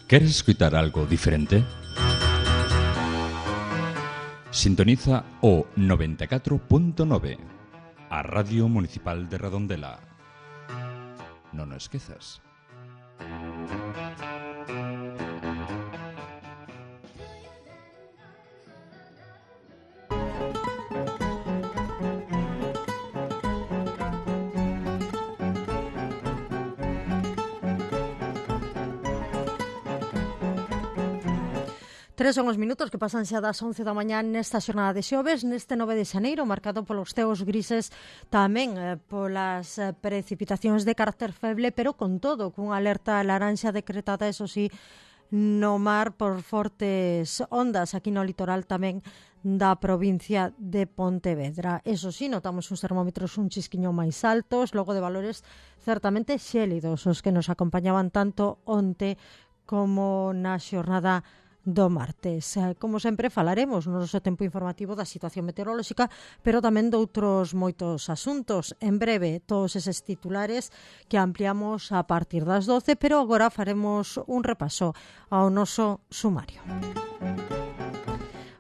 ¿Queres escuchar algo diferente? Sintoniza o 94.9, a Radio Municipal de Redondela. Non o esquezas. Tres son os minutos que pasan xa das 11 da mañá nesta xornada de xoves, neste 9 de xaneiro, marcado polos ceos grises, tamén polas precipitacións de carácter feble, pero con todo, cunha alerta laranxa decretada, eso sí, no mar por fortes ondas aquí no litoral tamén da provincia de Pontevedra. Eso sí, notamos uns termómetros un chisquiño máis altos, logo de valores certamente xélidos, os que nos acompañaban tanto onte como na xornada do martes. Como sempre, falaremos no noso tempo informativo da situación meteorolóxica, pero tamén doutros moitos asuntos. En breve, todos eses titulares que ampliamos a partir das 12, pero agora faremos un repaso ao noso sumario.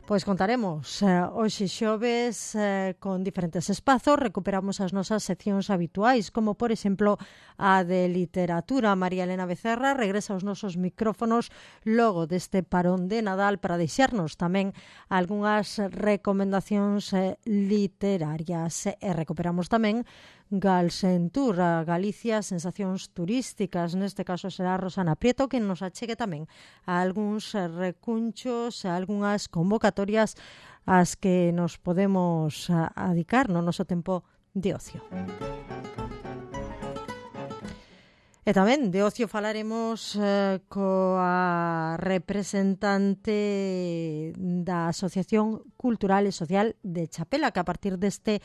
Pois contaremos hoxe xoves con diferentes espazos. Recuperamos as nosas seccións habituais, como por exemplo a de literatura. María Elena Becerra regresa aos nosos micrófonos logo deste parón de Nadal para deixarnos tamén algunhas recomendacións literarias. E recuperamos tamén Galsentur, a Galicia, sensacións turísticas. Neste caso será Rosana Prieto que nos achegue tamén a algúns recunchos, a algunhas convocatorias ás que nos podemos adicar no noso tempo de ocio. E tamén de ocio falaremos coa representante da Asociación Cultural e Social de Chapela, que a partir deste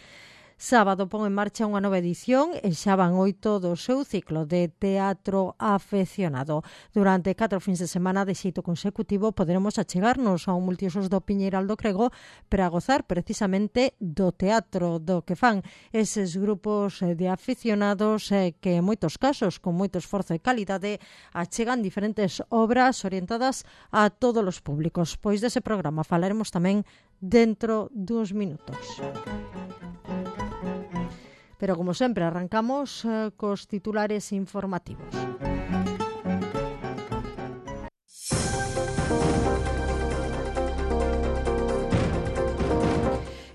sábado pon en marcha unha nova edición e xa van 8 do seu ciclo de teatro afeccionado. Durante 4 fins de semana de xeito consecutivo poderemos achegarnos a un multiusos do Piñeiral do Crego para gozar precisamente do teatro do que fan eses grupos de aficionados que en moitos casos, con moito esforzo e calidade, achegan diferentes obras orientadas a todos os públicos. Pois dese programa falaremos tamén dentro duns minutos. Pero, como sempre, arrancamos cos titulares informativos.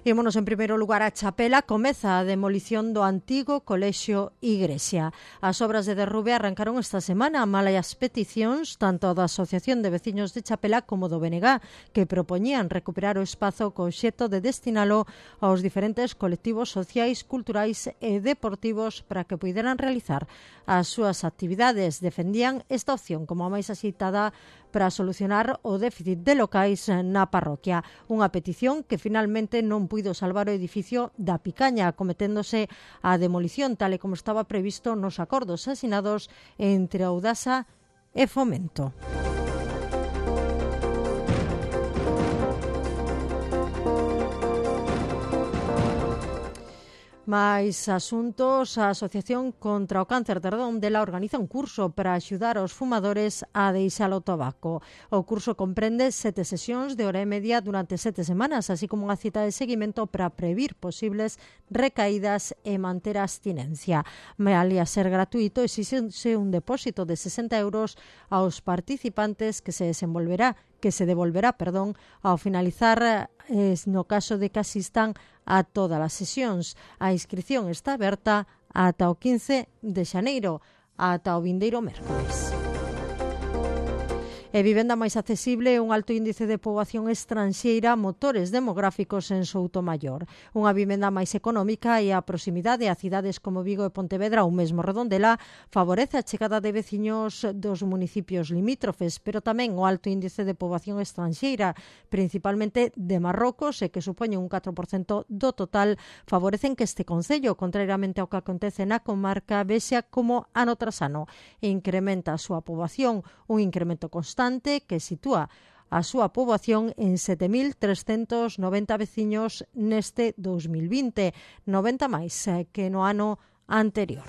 Ímonos en primeiro lugar a Chapela. Comeza a demolición do antigo colexio Igrexa. As obras de derrube arrancaron esta semana, malas peticións tanto da Asociación de Veciños de Chapela como do BNG, que propoñían recuperar o espazo co obxecto de destinalo aos diferentes colectivos sociais, culturais e deportivos para que puideran realizar as súas actividades. Defendían esta opción como a máis axeitada para solucionar o déficit de locais na parroquia. Unha petición que finalmente non puido salvar o edificio da Picaña, acometéndose a demolición tal e como estaba previsto nos acordos asinados entre Audasa e Fomento. Mais asuntos, a Asociación contra o Cáncer de Redondela organiza un curso para axudar aos fumadores a deixar o tabaco. O curso comprende 7 sesións de hora e media durante 7 semanas, así como unha cita de seguimento para previr posibles recaídas e manter a abstinencia. Malia ser gratuito, exíxense un depósito de 60 euros aos participantes que se devolverá ao finalizar no caso de que asistan a todas as sesións. A inscripción está aberta ata o 15 de xaneiro, ata o vindeiro mércores. E vivenda máis accesible e un alto índice de poboación estranxeira, motores demográficos en Soutomaior. Unha vivenda máis económica e a proximidade a cidades como Vigo e Pontevedra ou mesmo Redondela favorece a chegada de veciños dos municipios limítrofes, pero tamén o alto índice de poboación estranxeira, principalmente de Marrocos, e que supoñe un 4% do total, favorecen que este concello, contrariamente ao que acontece na comarca, vexa como ano tras ano incrementa a súa poboación, un incremento constante que sitúa a súa poboación en 7.390 veciños neste 2020, 90 máis que no ano anterior.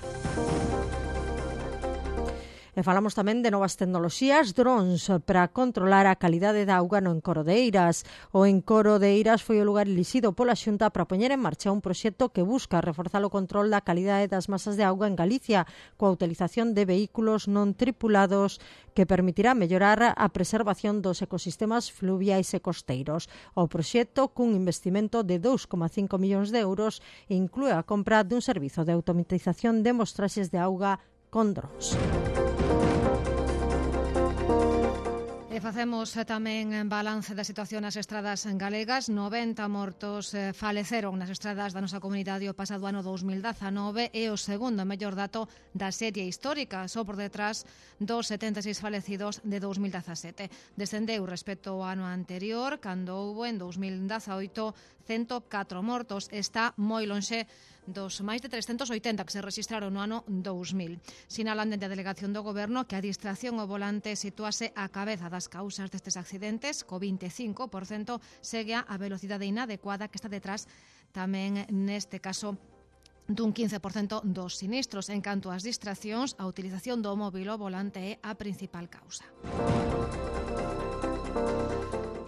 E falamos tamén de novas tecnoloxías, drons para controlar a calidade da auga no Encoro de Eiras. O Encoro de Eiras foi o lugar elixido pola Xunta para poñer en marcha un proxecto que busca reforzar o control da calidade das masas de auga en Galicia coa utilización de vehículos non tripulados que permitirá mellorar a preservación dos ecosistemas fluviais e costeiros. O proxecto, cun investimento de 2,5 millóns de euros, inclúe a compra dun servizo de automatización de mostraxes de auga con drons. Facemos tamén balance da situación nas estradas galegas. 90 mortos faleceron nas estradas da nosa comunidade o pasado ano 2019 e o segundo mellor dato da serie histórica, só por detrás dos 76 falecidos de 2017. Descendeu respecto ao ano anterior, cando houbo en 2018 104 mortos. Está moi lonxe dos máis de 380 que se registraron no ano 2000. Sinalan dende a delegación do Goberno que a distracción ao volante situase á cabeza das causas destes accidentes, co 25% segue a velocidade inadecuada que está detrás tamén neste caso dun 15% dos sinistros. En canto ás distraccións, a utilización do móbil ao volante é a principal causa.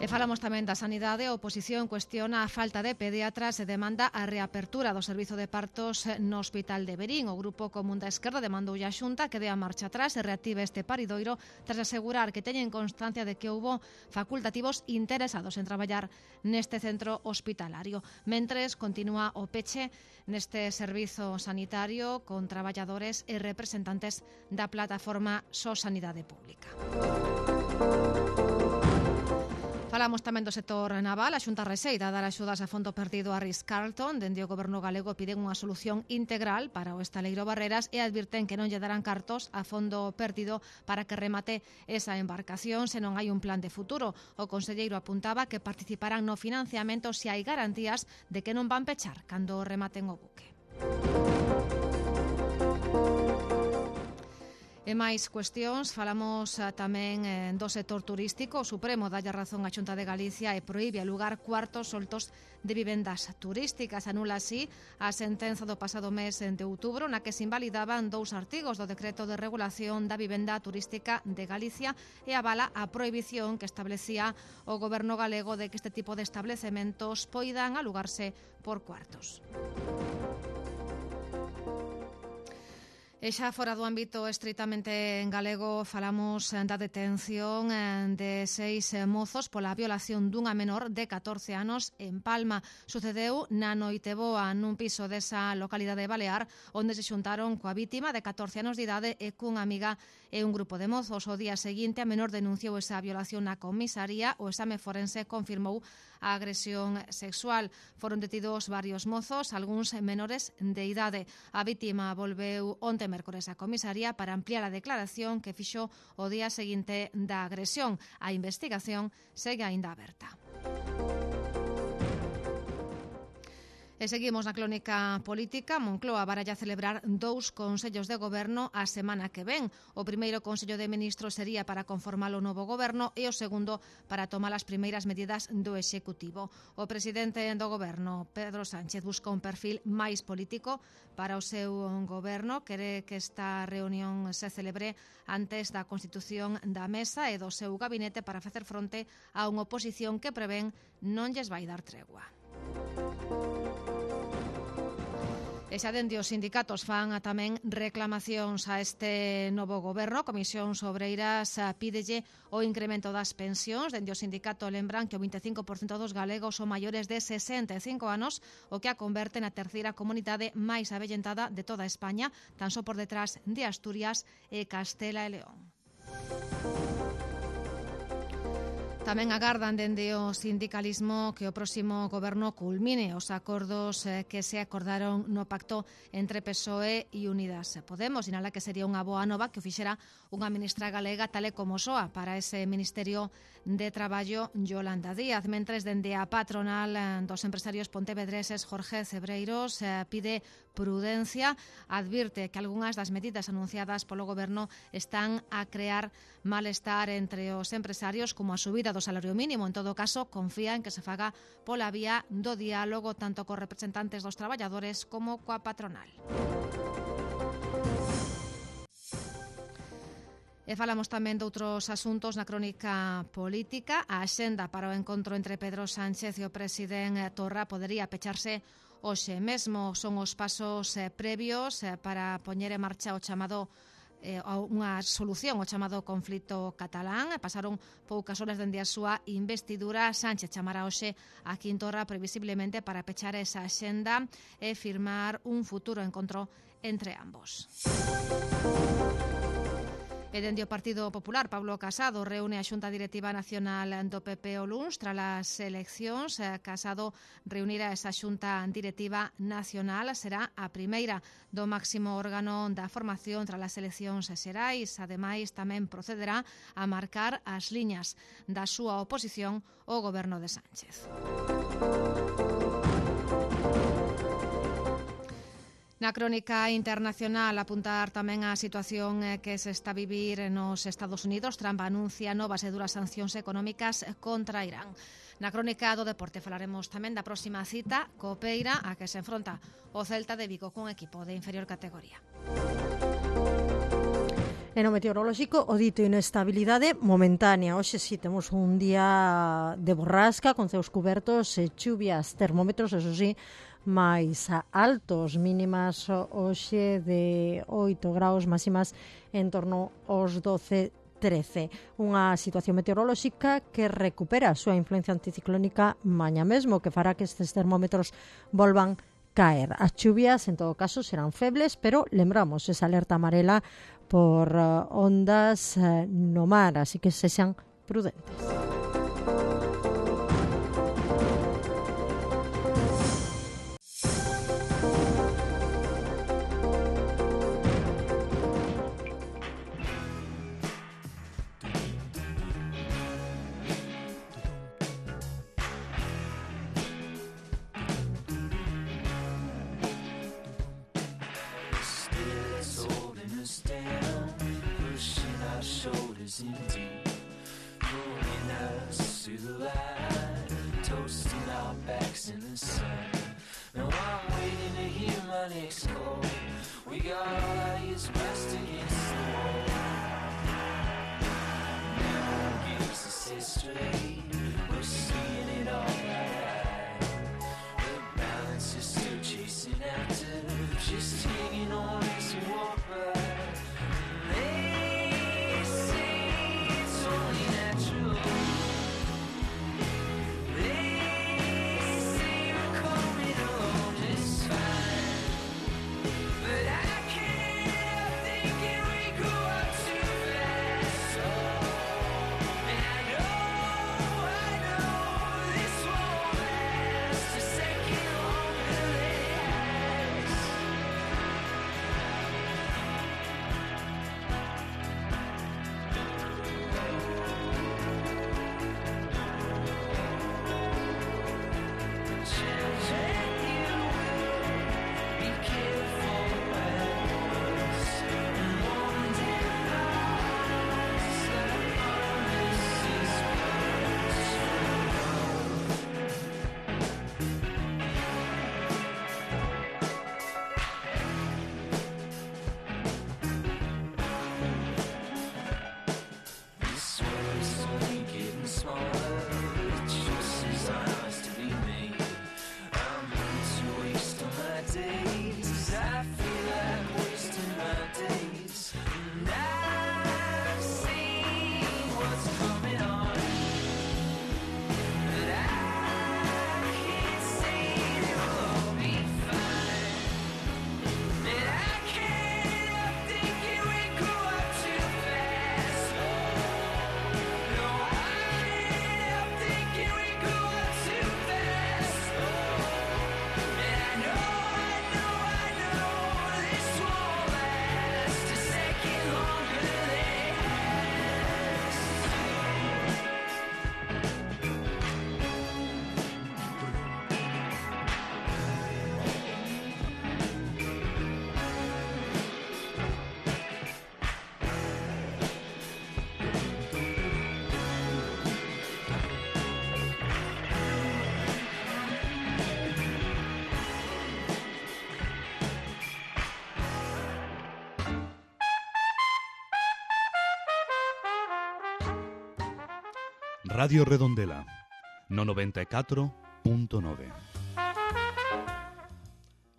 E falamos tamén da sanidade. A oposición cuestiona a falta de pediatras e demanda a reapertura do servizo de partos no Hospital de Verín. O Grupo Común da Esquerda demandoulle á Xunta que dea marcha atrás e reactive este paridoiro tras asegurar que teñen constancia de que houbo facultativos interesados en traballar neste centro hospitalario. Mentres, continúa o peche neste servizo sanitario con traballadores e representantes da plataforma So Sanidade Pública. Falamos tamén do sector naval. A Xunta receita dar axudas a fondo perdido a Ritz-Carlton. Dende o Goberno galego piden unha solución integral para o estaleiro Barreras e advirten que non lle darán cartos a fondo perdido para que remate esa embarcación se non hai un plan de futuro. O conselleiro apuntaba que participarán no financiamento se hai garantías de que non van pechar cando rematen o buque. E máis cuestións, falamos tamén do sector turístico. O Supremo dalle razón á Xunta de Galicia e proíbe alugar cuartos soltos de vivendas turísticas. Anula así a sentenza do pasado mes de outubro na que se invalidaban 2 artigos do Decreto de Regulación da Vivenda Turística de Galicia e avala a prohibición que establecía o Goberno galego de que este tipo de establecementos poidan alugarse por cuartos. E xa fora do ámbito estritamente galego, falamos da detención de 6 mozos pola violación dunha menor de 14 anos en Palma. Sucedeu na Noiteboa, nun piso desa localidade balear, onde se xuntaron coa vítima de 14 anos de idade e cunha amiga e un grupo de mozos. O día seguinte, a menor denunciou esa violación na comisaría. O exame forense confirmou a agresión sexual. Foron detidos varios mozos, algúns menores de idade. A vítima volveu onte mércores a comisaría para ampliar a declaración que fixo o día seguinte da agresión. A investigación segue aínda aberta. E seguimos na crónica política. Moncloa baralla celebrar 2 consellos de goberno a semana que ven. O primeiro consello de ministros sería para conformar o novo goberno e o segundo para tomar as primeiras medidas do Executivo. O presidente do goberno, Pedro Sánchez, busca un perfil máis político para o seu goberno. Quere que esta reunión se celebre antes da constitución da mesa e do seu gabinete para facer fronte a unha oposición que prevén non lles vai dar tregua. E xa dende os sindicatos fan tamén reclamacións a este novo goberno. A Comisión Obreiras pídelle o incremento das pensións. Dende o sindicato lembran que o 25% dos galegos son maiores de 65 anos, o que a converte na terceira comunidade máis avellentada de toda España, tan só por detrás de Asturias e Castela e León. Tamén agardan dende o sindicalismo que o próximo goberno culmine os acordos que se acordaron no pacto entre PSOE e Unidas Podemos. Sinala que sería unha boa nova que o fixera unha ministra galega tal e como soa para ese Ministerio de Traballo, Yolanda Díaz. Mentres dende a patronal dos empresarios pontevedreses, Jorge Cebreiros, pide prudencia, advirte que algunhas das medidas anunciadas polo goberno están a crear malestar entre os empresarios, como a subida do salario mínimo. En todo caso, confía en que se faga pola vía do diálogo tanto cos representantes dos traballadores como coa patronal. E falamos tamén doutros asuntos na crónica política. A axenda para o encontro entre Pedro Sánchez e o presidente Torra podería pecharse hoxe mesmo. Son os pasos previos para poñer en marcha o chamado unha solución ao chamado conflito catalán. Pasaron poucas horas dende a súa investidura. Sánchez chamará hoxe a Quintorra previsiblemente para pechar esa axenda e firmar un futuro encontro entre ambos. E dende o Partido Popular, Pablo Casado reúne a Xunta Directiva Nacional do PP o luns tras as eleccións. Casado reunirá esa Xunta Directiva Nacional, será a primeira do máximo órgano da formación tras as eleccións xerais. Ademais, tamén procederá a marcar as liñas da súa oposición ao goberno de Sánchez. Na crónica internacional, apuntar tamén a situación que se está a vivir nos Estados Unidos. Trump anuncia novas e duras sancións económicas contra Irán. Na crónica do deporte falaremos tamén da próxima cita copeira a que se enfronta o Celta de Vigo cun equipo de inferior categoría. E no meteorolóxico, o dito inestabilidade momentánea. Hoxe sí temos un día de borrasca con ceos cubertos e chuvias, termómetros, eso sí, máis altos, mínimas hoxe de 8 graus, máximas en torno aos 12-13. Unha situación meteorolóxica que recupera a súa influencia anticiclónica mañá mesmo, que fará que estes termómetros volvan caer. As chuvias, en todo caso, serán febles, pero lembramos esa alerta amarela por ondas no mar, así que sexan prudentes. But I can't think and we go up to Radio Redondela, no 94.9.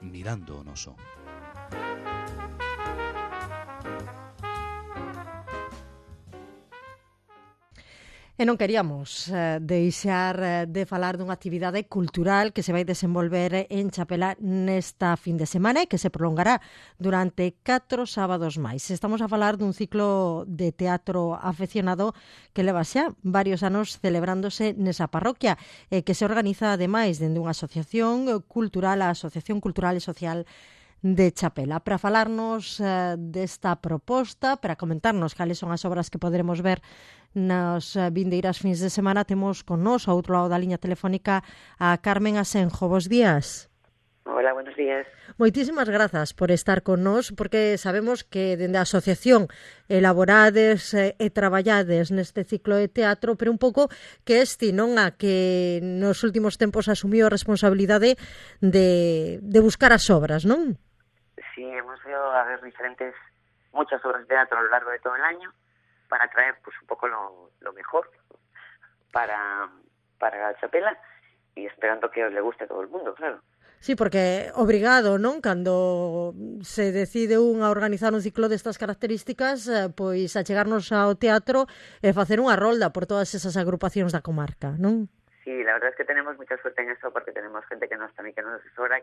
Mirando o noso. E non queríamos deixar de falar dunha actividade cultural que se vai desenvolver en Chapela nesta fin de semana e que se prolongará durante 4 sábados máis. Estamos a falar dun ciclo de teatro afeccionado que leva xa varios anos celebrándose nesa parroquia e que se organiza ademais dende unha asociación cultural, a Asociación Cultural e Social de Chapela. Para falarnos desta proposta, para comentarnos cales son as obras que poderemos ver nas vindeiras fins de semana, temos con nós ao outro lado da liña telefónica a Carmen Asenjo. Bos días. Hola, buenos días. Moitísimas grazas por estar con nós, porque sabemos que dende a asociación elaborades e traballades neste ciclo de teatro, pero un pouco que non a que nos últimos tempos asumiu a responsabilidade de buscar as obras, non? Sí, hemos ido a ver muchas obras de teatro a lo largo de todo el año para traer pues un poco lo mejor para la Chapela y esperando que le guste a todo el mundo, claro. Sí, porque obrigado, non? Cando se decide a organizar un ciclo destas características, pois a chegarnos ao teatro e facer unha rolda por todas esas agrupacións da comarca, non? Sí, la verdad es que tenemos mucha suerte en eso porque tenemos gente que nos asesora,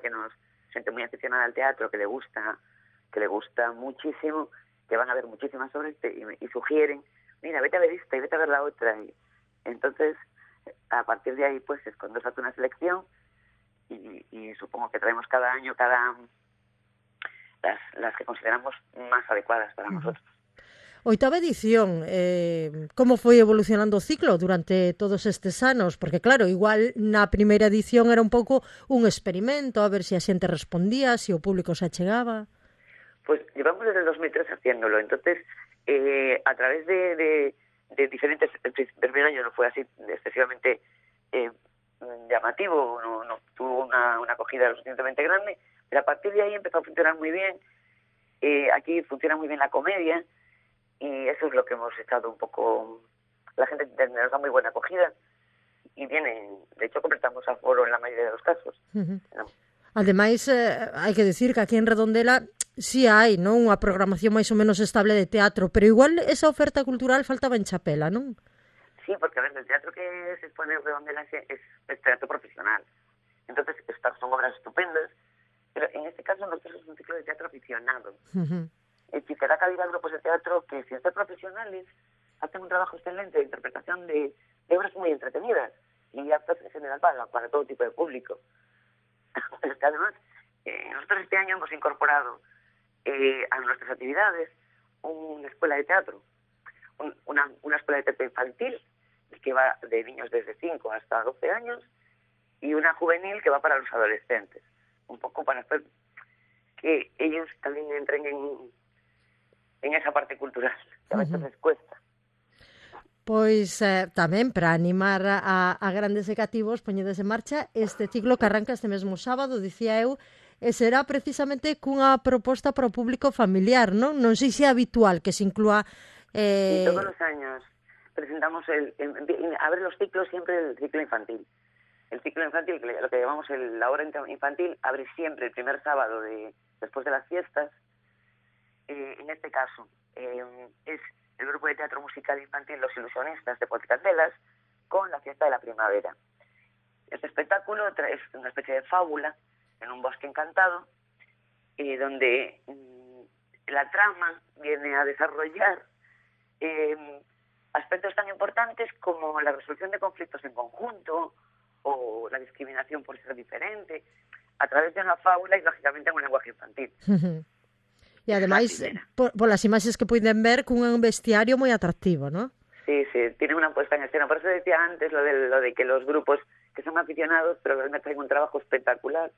gente muy aficionada al teatro, que le gusta muchísimo, que van a ver muchísimas obras y sugieren, mira, vete a ver esta y vete a ver la otra. Y entonces, a partir de ahí, pues es cuando se hace una selección y supongo que traemos cada año las que consideramos más adecuadas para nosotros. Oitava edición, como foi evolucionando o ciclo durante todos estes anos? Porque claro, igual na primeira edición era un pouco un experimento, a ver se a xente respondía, se o público se achegaba. Pues llevamos desde el 2003 haciéndolo, entonces a través de diferentes... El primer año no fue así excesivamente llamativo, no tuvo una acogida lo suficientemente grande, pero a partir de ahí empezó a funcionar muy bien. Aquí funciona muy bien la comedia y eso es lo que hemos estado un poco... La gente nos da muy buena acogida y vienen, de hecho completamos aforo en la mayoría de los casos. Uh-huh. ¿No? Ademais, hai que decir que aquí en Redondela sí hai, non, unha programación máis ou menos estable de teatro, pero igual esa oferta cultural faltaba en Chapela, non? Sí, porque a ver, el teatro que se expone en Redondela es teatro profesional. Entonces, estas son obras estupendas, pero en este caso nosotros es un ciclo de teatro aficionado. Uh-huh. Es decir, que da cabida a grupos de teatro que, sin ser profesionales, hacen un trabajo excelente de interpretación de obras muy entretenidas y aptas en general para todo tipo de público. Pero es que además, nosotros este año hemos incorporado a nuestras actividades una escuela de teatro, una escuela de teatro infantil que va de niños desde 5 hasta 12 años y una juvenil que va para los adolescentes, un poco para hacer que ellos también entren en esa parte cultural, que a veces les cuesta. Pois tamén para animar a grandes e cativos poñedes en marcha este ciclo que arranca este mesmo sábado, dicía eu, e será precisamente cunha proposta para o público familiar, non? Non sei se é habitual que se inclúa... Sí, todos los años presentamos abre los ciclos siempre el ciclo infantil. El ciclo infantil, lo que llamamos la hora infantil, abre siempre el primer sábado después de las fiestas. En este caso es el grupo de teatro musical infantil Los Ilusionistas de Potcandelas con la fiesta de la primavera. Este espectáculo es una especie de fábula en un bosque encantado donde la trama viene a desarrollar aspectos tan importantes como la resolución de conflictos en conjunto o la discriminación por ser diferente a través de una fábula y lógicamente en un lenguaje infantil. E ademais, polas imaxes que puiden ver, cun vestiario moi atractivo, ¿no? Sí, tiene una puesta en escena. Por eso decía antes lo de que los grupos que son aficionados, pero realmente tienen un trabajo espectacular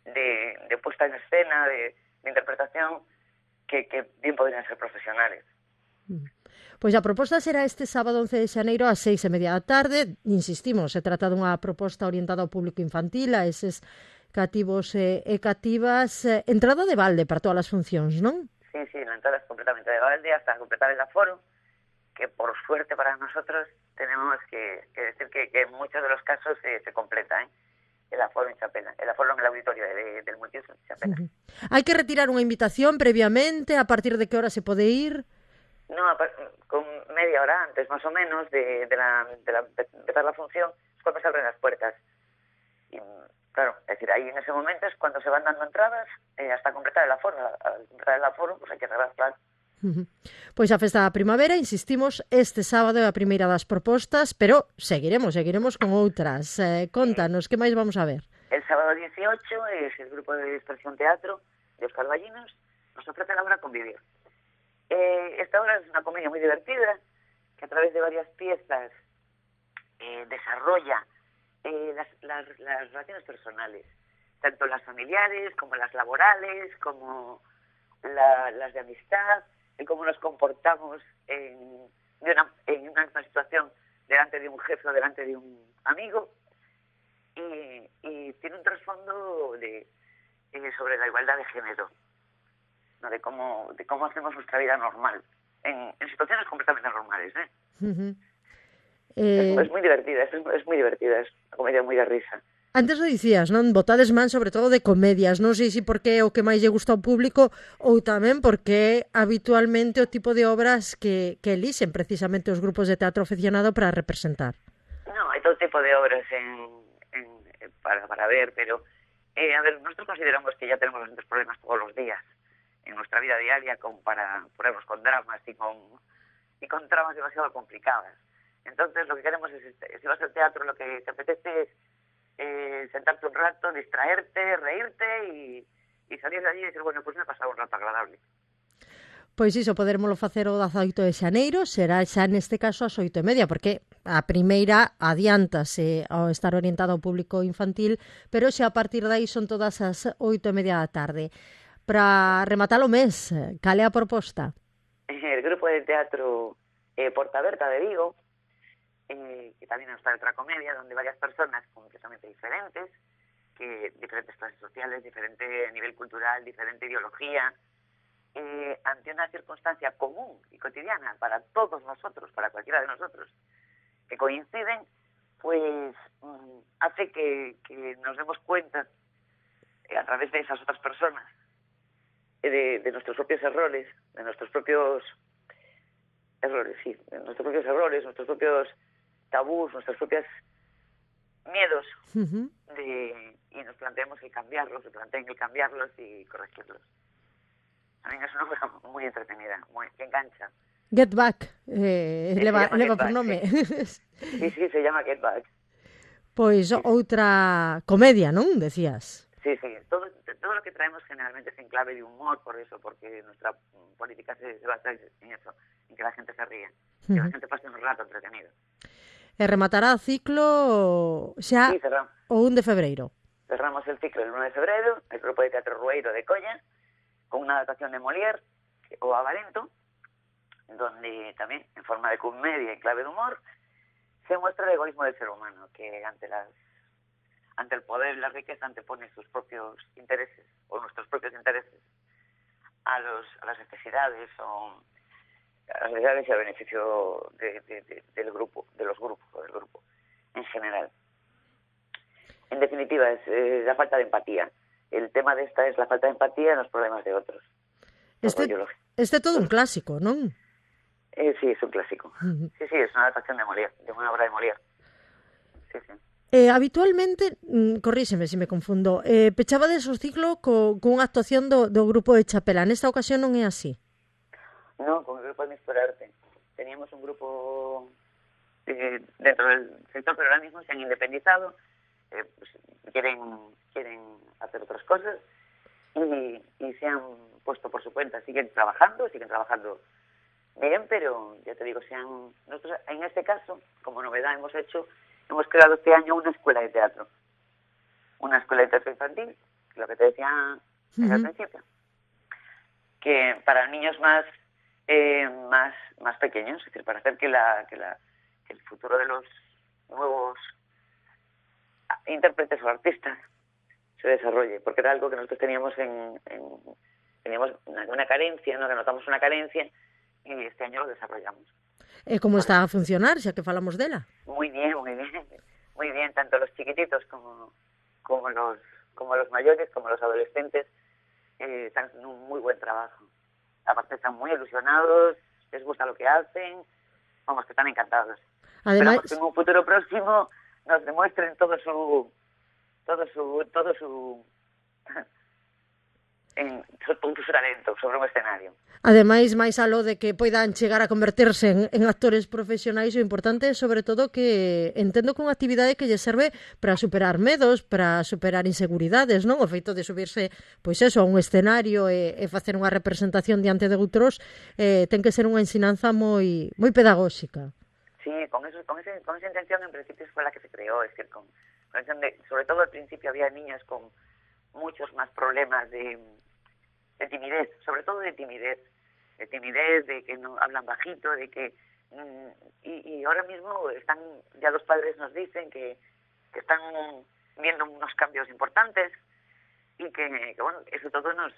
de puesta en escena, de interpretación, que bien podrían ser profesionales. Pois a proposta será este sábado 11 de xaneiro ás 6:30 da tarde. Insistimos, se trata dunha proposta orientada ao público infantil, a eses cativos e cativas. Entrada de balde para todas as funcións, non? Sí, la entrada es completamente de balde hasta completar el aforo, que por suerte para nosotros tenemos que decir que en muchos de los casos se completa, el aforo en Chapela, el aforo en el auditorio del multiuso en Chapela. Hai que retirar unha invitación previamente, a partir de que hora se pode ir? No, con media hora antes, más o menos, de empezar la función, es cuando se abren las puertas. Y, claro, es decir, ahí en ese momento es cuando se van dando entradas hasta completar el aforo. Al completar el aforo, pues hay que cerrar, claro. Pois a festa da primavera, insistimos, este sábado é a primeira das propostas, pero seguiremos con outras. Contanos, que máis vamos a ver? El sábado 18 es el grupo de Expresión Teatro de Óscar Ballinos, nos ofrece la obra Convivir. Esta obra es una comedia muy divertida, que a través de varias piezas desarrolla las relaciones personales, tanto las familiares como las laborales, como las de amistad, en cómo nos comportamos en una situación delante de un jefe o delante de un amigo, y tiene un trasfondo sobre la igualdad de género, ¿no? de cómo hacemos nuestra vida normal, en situaciones completamente normales. Es muy divertida, es muy divertida, es una comedia muy de risa. Antes lo dicías, non? Botades man sobre todo de comedias, non sei se porque é o que máis lle gusta ao público ou tamén porque é habitualmente o tipo de obras que elixen precisamente os grupos de teatro aficionado para representar. No, hay todo tipo de obras para ver, pero a ver, nosotros consideramos que ya tenemos bastantes problemas todos los días en nuestra vida diaria como para ponernos con dramas y con tramas demasiado complicadas. Entonces lo que queremos es, si vas al teatro, lo que te apetece es sentarte un rato, distraerte, reírte y salir de allí y decir, bueno, pues me he pasado un rato agradable. Pois iso, podermoslo facer o 18 de xaneiro, será xa neste caso ás 8:30, porque a primeira adiántase ao estar orientada ao público infantil, pero xa a partir de aí son todas as 8:30 da tarde. Para rematar o mes, cal é a proposta? El grupo de teatro Porta Berta de Vigo, que también está otra comedia, donde varias personas completamente diferentes, que diferentes clases sociales, diferente nivel cultural, diferente ideología, ante una circunstancia común y cotidiana para todos nosotros, para cualquiera de nosotros, que coinciden, pues hace que nos demos cuenta a través de esas otras personas de nuestros propios errores, de nuestros propios errores, sí, de nuestros propios errores, nuestros propios tabús, nuestros propios miedos, y nos planteemos el cambiarlos, se planteen el cambiarlos y corregirlos. También es una obra muy entretenida, que engancha. Get Back, leva por nome. Sí, se llama Get Back. Pois outra comedia, non? Decías. Sí, todo lo que traemos generalmente es en clave de humor, por eso, porque nuestra política se basa en eso, en que la gente se ría, que la gente pase un rato entretenido. E rematará o ciclo xa o 1 de febreiro. Cerramos el ciclo el 1 de febrero, el grupo de teatro Rueiro de Colla, con una adaptación de Molière o Avarento, donde también, en forma de comedia y clave de humor, se muestra el egoísmo del ser humano, que ante el poder y la riqueza antepone sus propios intereses, o nuestros propios intereses, a las necesidades o a las necesidades y al beneficio del grupo, del grupo en general. En definitiva, es la falta de empatía. El tema de esta es la falta de empatía en los problemas de otros. Este é todo un clásico, non? Sí, es un clásico. Sí, es una adaptación de Molière, de una obra de Molière. Sí. Habitualmente, corríxeme se me confundo, pechabades o ciclo con actuación do grupo de Chapela. Nesta ocasión non é así? No, con el grupo de Misturarte. Teníamos un grupo dentro del sector, pero ahora mismo se han independizado, pues, quieren hacer otras cosas y se han puesto por su cuenta. Siguen trabajando bien, pero ya te digo, nosotros en este caso, como novedad hemos creado este año una escuela de teatro infantil, lo que te decía al principio, que para niños más pequeños, es decir, para hacer que el futuro de los nuevos intérpretes o artistas se desarrolle, porque era algo que nosotros teníamos teníamos una carencia, ¿no? Que notamos una carencia, y este año lo desarrollamos. E como está a funcionar, xa que falamos dela? Muy bien, muy bien. Muy bien, tanto los chiquititos como los mayores, como los adolescentes, están haciendo un muy buen trabajo. Aparte están muy ilusionados, les gusta lo que hacen, vamos, que están encantados. Además, esperamos que en un futuro próximo nos demuestren todo su talento sobre un escenario. Ademais, máis aló de que poidan chegar a converterse en actores profesionais, o importante é sobre todo que entendo que unha actividade que lle serve para superar medos, para superar inseguridades, non? O feito de subirse, pois eso, a un escenario e facer unha representación diante de outros ten que ser unha ensinanza moi pedagóxica. Sí, con esa intención en principio fue la que se creó, es decir, con sobre todo al principio había niñas con muchos más problemas de timidez, sobre todo de timidez, de que no hablan bajito, de que y ahora mismo están, ya los padres nos dicen que están viendo unos cambios importantes y que bueno, eso todo nos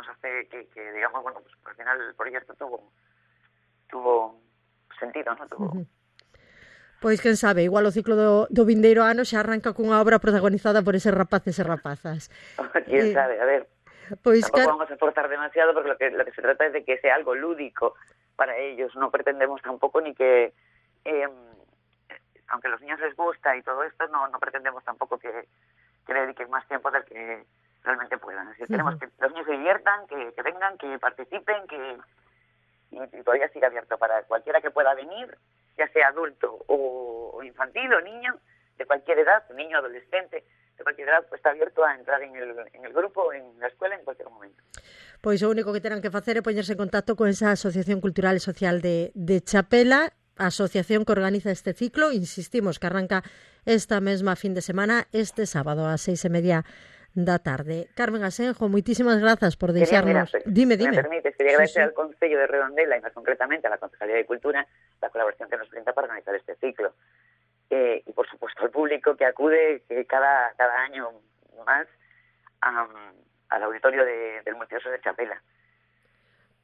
hace que digamos, bueno, pues al final el proyecto tuvo sentido, ¿no? Pois, quen sabe, igual o ciclo do vindeiro ano xa arranca cunha obra protagonizada por eses rapaces e rapazas. Quién sabe, a ver. Pois tampoco vamos a forzar demasiado porque lo que se trata es de que sea algo lúdico para ellos. No pretendemos tampoco ni que, aunque a los niños les gusta y todo esto, no pretendemos tampoco que le dediquen más tiempo del que realmente puedan. Así que queremos que los niños se diviertan, que vengan, que participen, y todavía sigue abierto para cualquiera que pueda venir, ya sea adulto o infantil o niño, de cualquier edad, niño, adolescente, de cualquier edad, pues está abierto a entrar en el grupo, en la escuela, en cualquier momento. Pois o único que terán que facer é poñerse en contacto con esa Asociación Cultural e Social de Chapela, a asociación que organiza este ciclo, insistimos que arranca esta mesma fin de semana, este sábado a 6:30 da tarde. Carmen Asenjo, moitísimas grazas por deixarnos... Dime. Me permites, quería agradecer al Concello de Redondela y más concretamente a la Concejalía de Cultura la colaboración que nos brinda para organizar este ciclo. Y por supuesto al público que acude cada año más al auditorio del Multiusos de Chapela.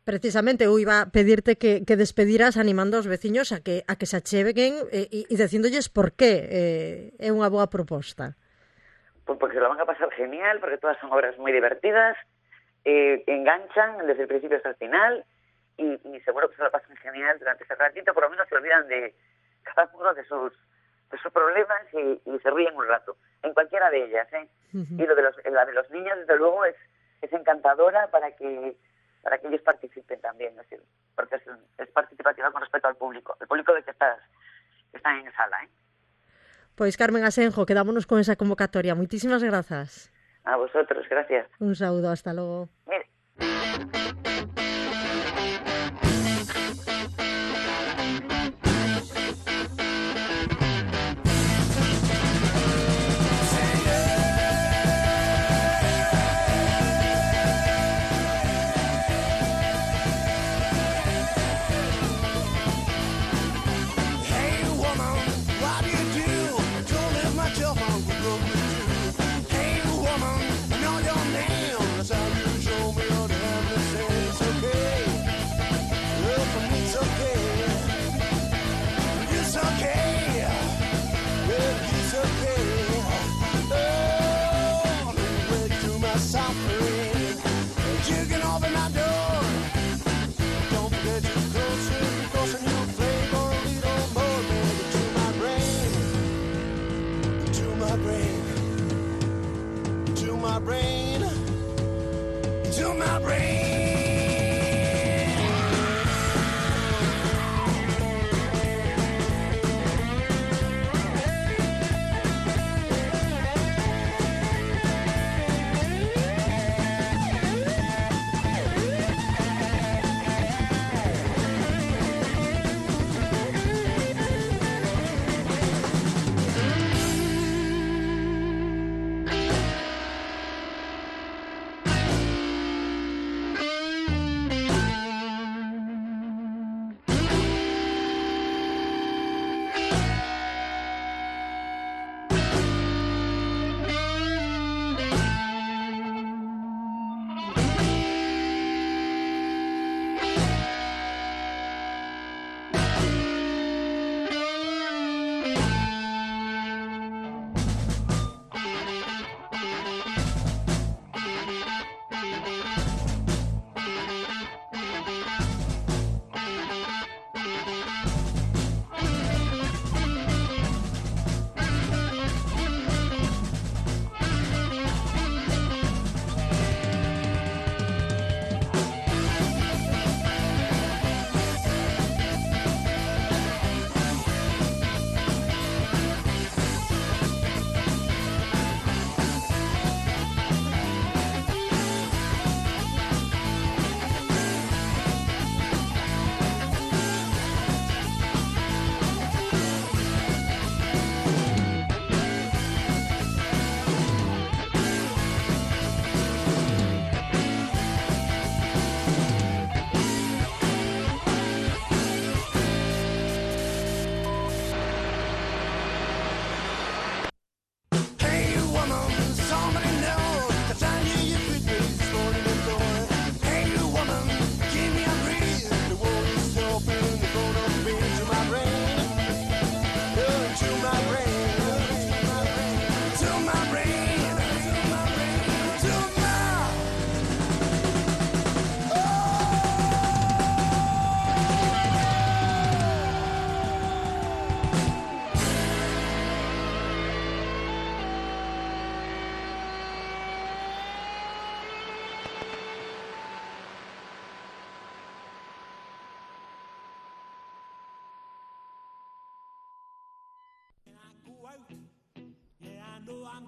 Precisamente, eu iba a pedirte que despediras animando aos veciños a que se acheguen e dicíndolles por qué é unha boa proposta. Pues porque se lo van a pasar genial, porque todas son obras muy divertidas, enganchan desde el principio hasta el final y seguro que se lo pasan genial durante ese ratito, por lo menos se olvidan de cada uno de sus problemas y se ríen un rato, en cualquiera de ellas, ¿eh? Y la de los niños, desde luego, es encantadora para que ellos participen también, es decir, porque es participativa con respecto al público de que están en sala, ¿eh? Pois Carmen Asenjo, quedámonos con esa convocatoria. Moitísimas grazas. A vosotros, gracias. Un saúdo, hasta logo. Mire. Hey woman, I know your name, that's how you show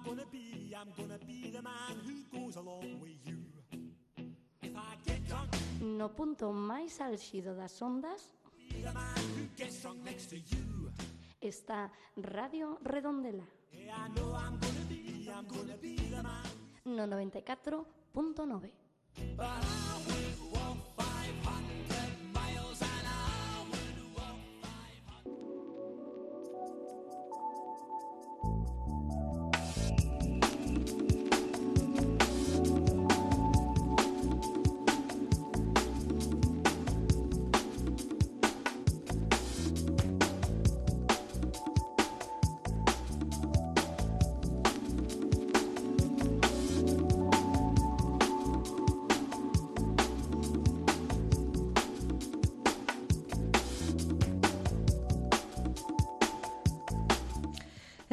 gonna be the man who goes along with you. If I get drunk, no punto máis álxido das ondas, be the man who gets drunk next to you. Está Radio Redondela. Yeah, I know I'm gonna be the man. No 94.9. But I would walk 500 miles and I would walk 500.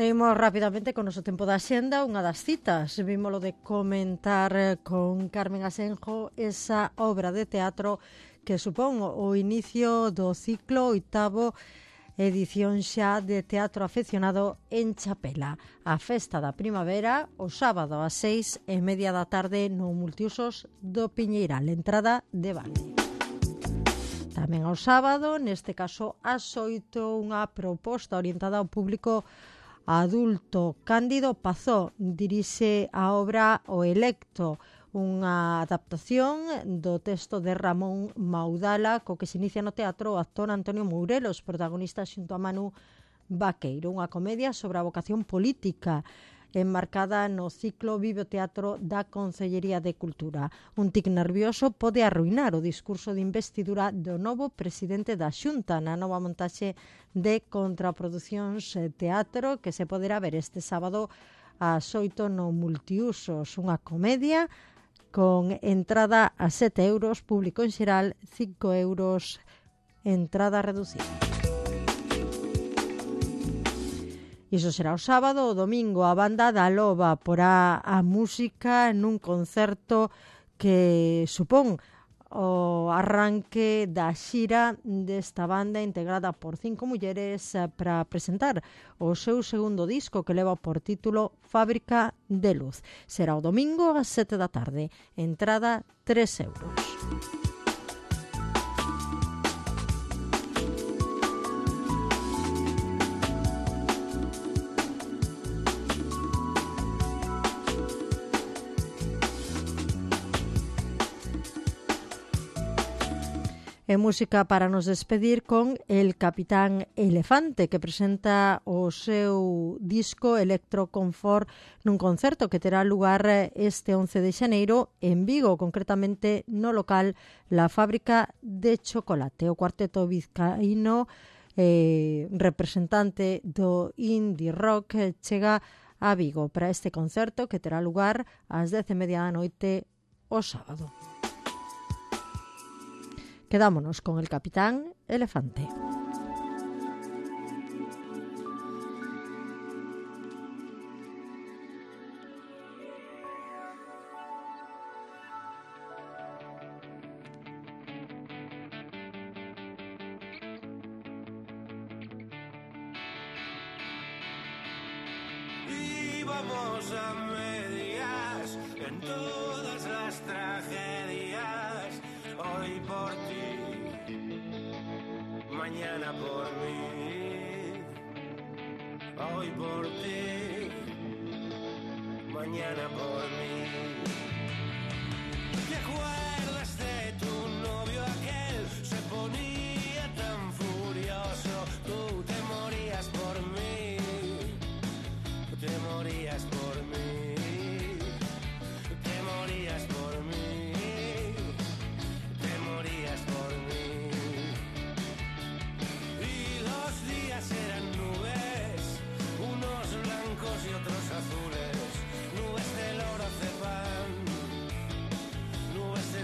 Imos rapidamente con o noso tempo da xenda. Unha das citas, vímolo de comentar con Carmen Asenjo, esa obra de teatro que supón o inicio do ciclo oitavo edición xa de teatro afeccionado en Chapela. A festa da primavera, o sábado ás 6:30 da tarde no Multiusos do Piñeiral, entrada de balde. Tamén ao sábado, neste caso ás 8, unha proposta orientada ao público adulto. Cándido Pazó dirixe a obra O Electo, unha adaptación do texto de Ramón Maudala, co que se inicia no teatro o actor Antonio Mourelos, protagonista xunto a Manu Vaqueiro, unha comedia sobre a vocación política enmarcada no ciclo Vive o Teatro da Concellería de Cultura. Un tic nervioso pode arruinar o discurso de investidura do novo presidente da Xunta na nova montaxe de Contraproducións Teatro, que se poderá ver este sábado ás 8 no Multiusos, unha comedia con entrada a 7 euros, público en xeral 5 euros, entrada reducida. Iso será o sábado. O domingo a banda da Loba porá a música nun concerto que supón o arranque da xira desta banda integrada por 5 mulleres para presentar o seu segundo disco, que leva por título Fábrica de Luz. Será o domingo ás 7 da tarde. Entrada 3 euros. E música para nos despedir con El Capitán Elefante, que presenta o seu disco Electroconfort nun concerto que terá lugar este 11 de xaneiro en Vigo, concretamente no local La Fábrica de Chocolate. O cuarteto vizcaíno representante do indie rock chega a Vigo para este concerto que terá lugar ás 10:30 da noite o sábado. Quedámonos con El Capitán Elefante. Íbamos a medias en todas las tragedias. Hoy por ti, mañana por mí. Hoy por ti, mañana por mí. ¿Te acuerdas de tu novio aquel? Se ponía tan furioso. Tú te morías por mí. Tú te morías por mí. Te morías por mí. Por mí. Y los días eran nubes, unos blancos y otros azules, nubes de lorazepam, nubes de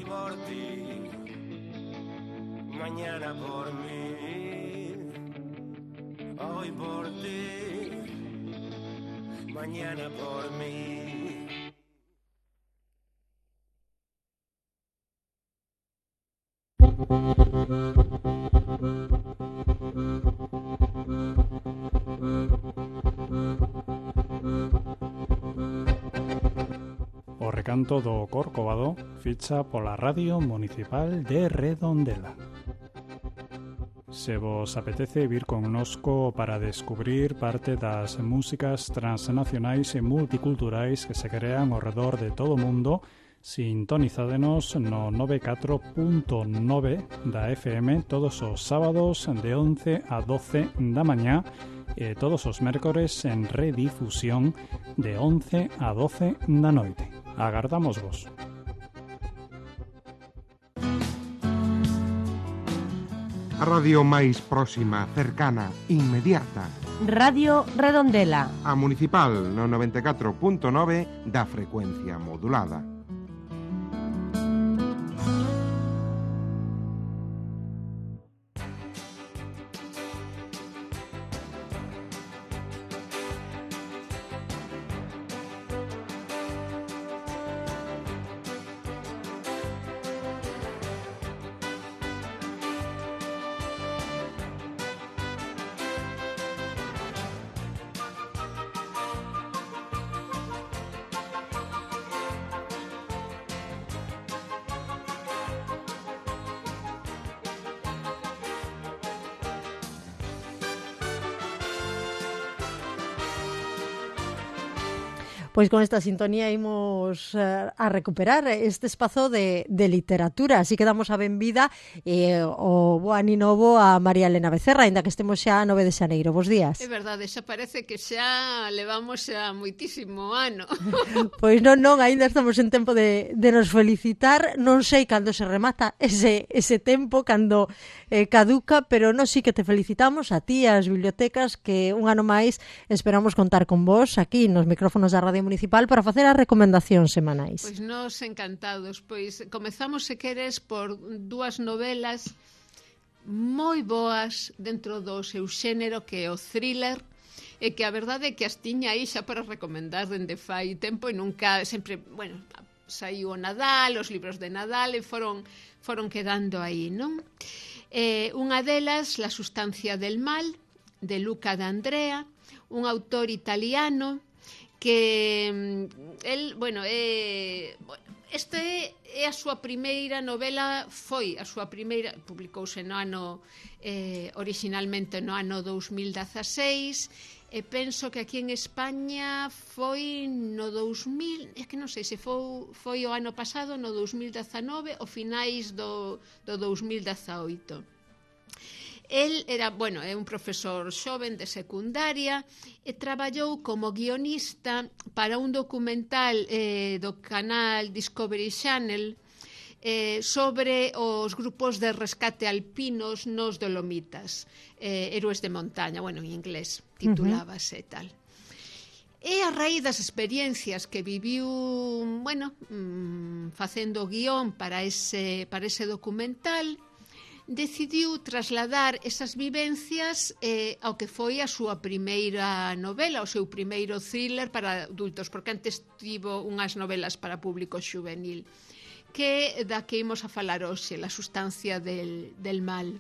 Hoy por ti, mañana por mí. Hoy por ti, mañana por mí. O recanto do Corcovado ficha pola Radio Municipal de Redondela. Se vos apetece vir connosco para descubrir parte das músicas transnacionais e multiculturais que se crean ao redor de todo o mundo, sintonizádenos no 94.9 da FM todos os sábados de 11 a 12 da mañá e todos os mércores en redifusión de 11 a 12 da noite. Agardamos vos. A radio máis próxima, cercana, inmediata. Radio Redondela. A Municipal no 94.9 da frecuencia modulada. Pois con esta sintonía imos a recuperar este espazo de literatura, así que damos a benvida o bo aninovo a María Elena Becerra, ainda que estemos xa a 9 de xaneiro. Bos días. É verdade, xa parece que xa levamos xa moitísimo ano. Pois non, ainda estamos en tempo de nos felicitar, non sei cando se remata ese tempo, cando caduca, pero non sí que te felicitamos a ti, as bibliotecas, que un ano máis esperamos contar con vos aquí nos micrófonos da Radio Municipal para facer as recomendacións semanais. Pois nos encantados. Pois comezamos, se queres, por dúas novelas moi boas dentro do seu xénero, que é o thriller, e que a verdade é que as tiña aí xa para recomendar dende fai tempo e nunca, sempre, bueno, saiu o Nadal, os libros de Nadal e foron quedando aí, non? Unha delas, La sustancia del mal, de Luca D'Andrea, un autor italiano que el, bueno, esta é a súa primeira novela, foi a súa primeira, publicouse no ano originalmente no ano 2016, e penso que aquí en España foi no 2000, é que non sei se foi o ano pasado, no 2019 ou finais do 2018. El era, bueno, é un profesor xoven de secundaria e traballou como guionista para un documental do canal Discovery Channel sobre os grupos de rescate alpinos nos Dolomitas, héroes de montaña, bueno, en inglés titulábase tal. E a raíz das experiencias que viviu, bueno, facendo guión para ese documental, decidiu trasladar esas vivencias ao que foi a súa primeira novela, o seu primeiro thriller para adultos, porque antes tivo unhas novelas para público xuvenil, que da que imos a falar hoxe, La sustancia del mal.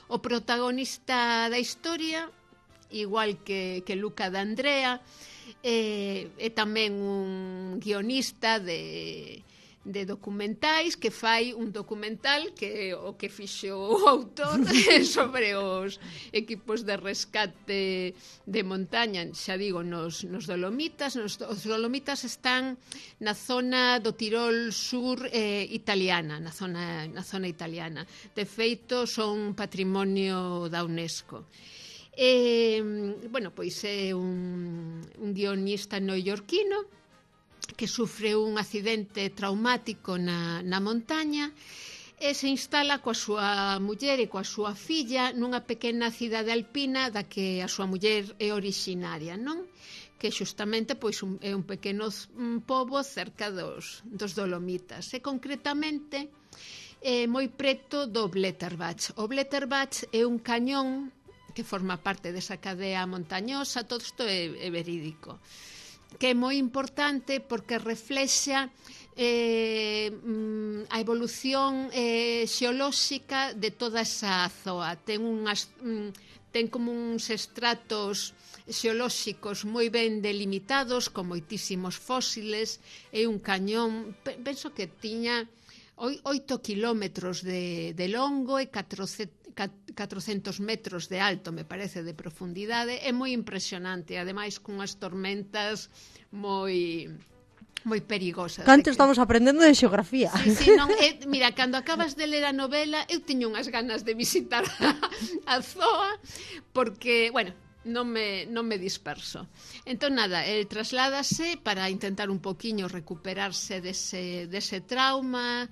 O protagonista da historia, igual que Luca D'Andrea, é tamén un guionista de documentais, que fai un documental que o que fixo o autor sobre os equipos de rescate de montaña, xa digo, nos Dolomitas. Os Dolomitas están na zona do Tirol sur italiana, na zona italiana. De feito, son patrimonio da UNESCO. Bueno, pois é un guionista neoyorquino que sufre un accidente traumático na montaña e se instala coa súa muller e coa súa filla nunha pequena cidade alpina da que a súa muller é originaria, non? que xustamente pois é un pequeno pobo cerca dos Dolomitas, e concretamente moi preto do Blätterbach. O Blätterbach é un cañón que forma parte desa cadea montañosa, todo isto é verídico, que é moi importante porque reflexa a evolución xeolóxica de toda esa zoa. Ten como uns estratos xeolóxicos moi ben delimitados, con moitísimos fósiles. É un cañón, penso que tiña 8 kilómetros de longo e 400 metros de alto, me parece, de profundidade. É moi impresionante, ademais cunhas tormentas moi perigosas. Canto estamos aprendendo de xeografía. Sí, non, mira, cando acabas de ler a novela, eu teño unhas ganas de visitar a zoa, porque, bueno, non me disperso. Entón, nada, el trasládase para intentar un poquiño recuperarse dese trauma,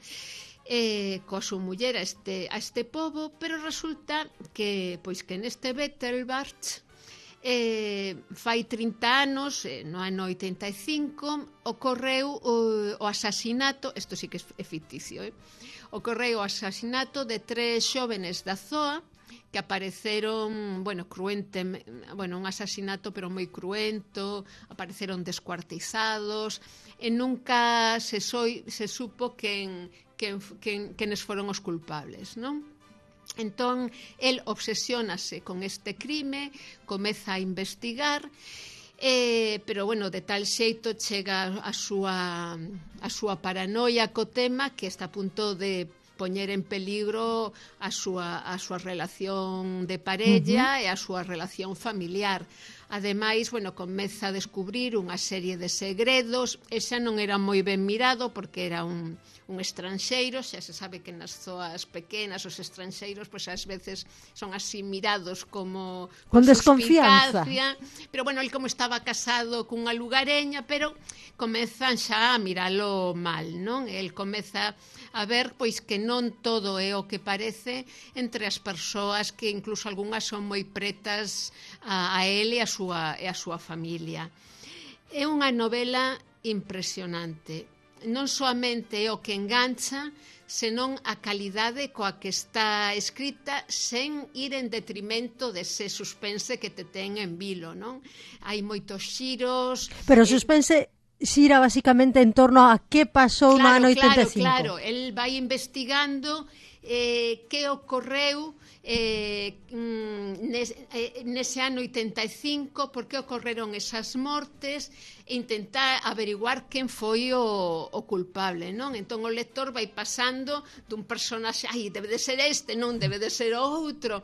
coa súa muller a este pobo, pero resulta que neste Blätterbach fai 30 anos, no ano 85, ocorreu o asasinato, isto sí que é ficticio, ocorreu o asasinato de 3 xóvenes da zoa que apareceron, un asasinato pero moi cruento, apareceron descuartizados, e nunca se supo quenes foron os culpables, non? Entón, el obsesiónase con este crime, comeza a investigar, pero, de tal xeito chega a súa paranoia co tema que está a punto de poñer en peligro a súa relación de parella e a súa relación familiar. Ademais, comeza a descubrir unha serie de segredos, e xa non era moi ben mirado porque era un estranxeiro. Xa se sabe que nas zoas pequenas os estranxeiros ás veces son así mirados como con desconfianza, pero el como estaba casado cunha lugareña, pero comezan xa a miralo mal, non? El comeza a ver que non todo é o que parece entre as persoas, que incluso algunhas son moi pretas a ele e a súa familia. É unha novela impresionante. Non soamente é o que engancha, senón a calidade coa que está escrita, sen ir en detrimento dese suspense que te ten en vilo, non? Hai moitos xiros. Pero o suspense xira basicamente en torno a que pasou no ano 85. Claro, el vai investigando que ocorreu nese ano 85, por que ocorreron esas mortes, e intentar averiguar quen foi o culpable, non? Entón o lector vai pasando dun personaxe, debe de ser este, non debe de ser outro.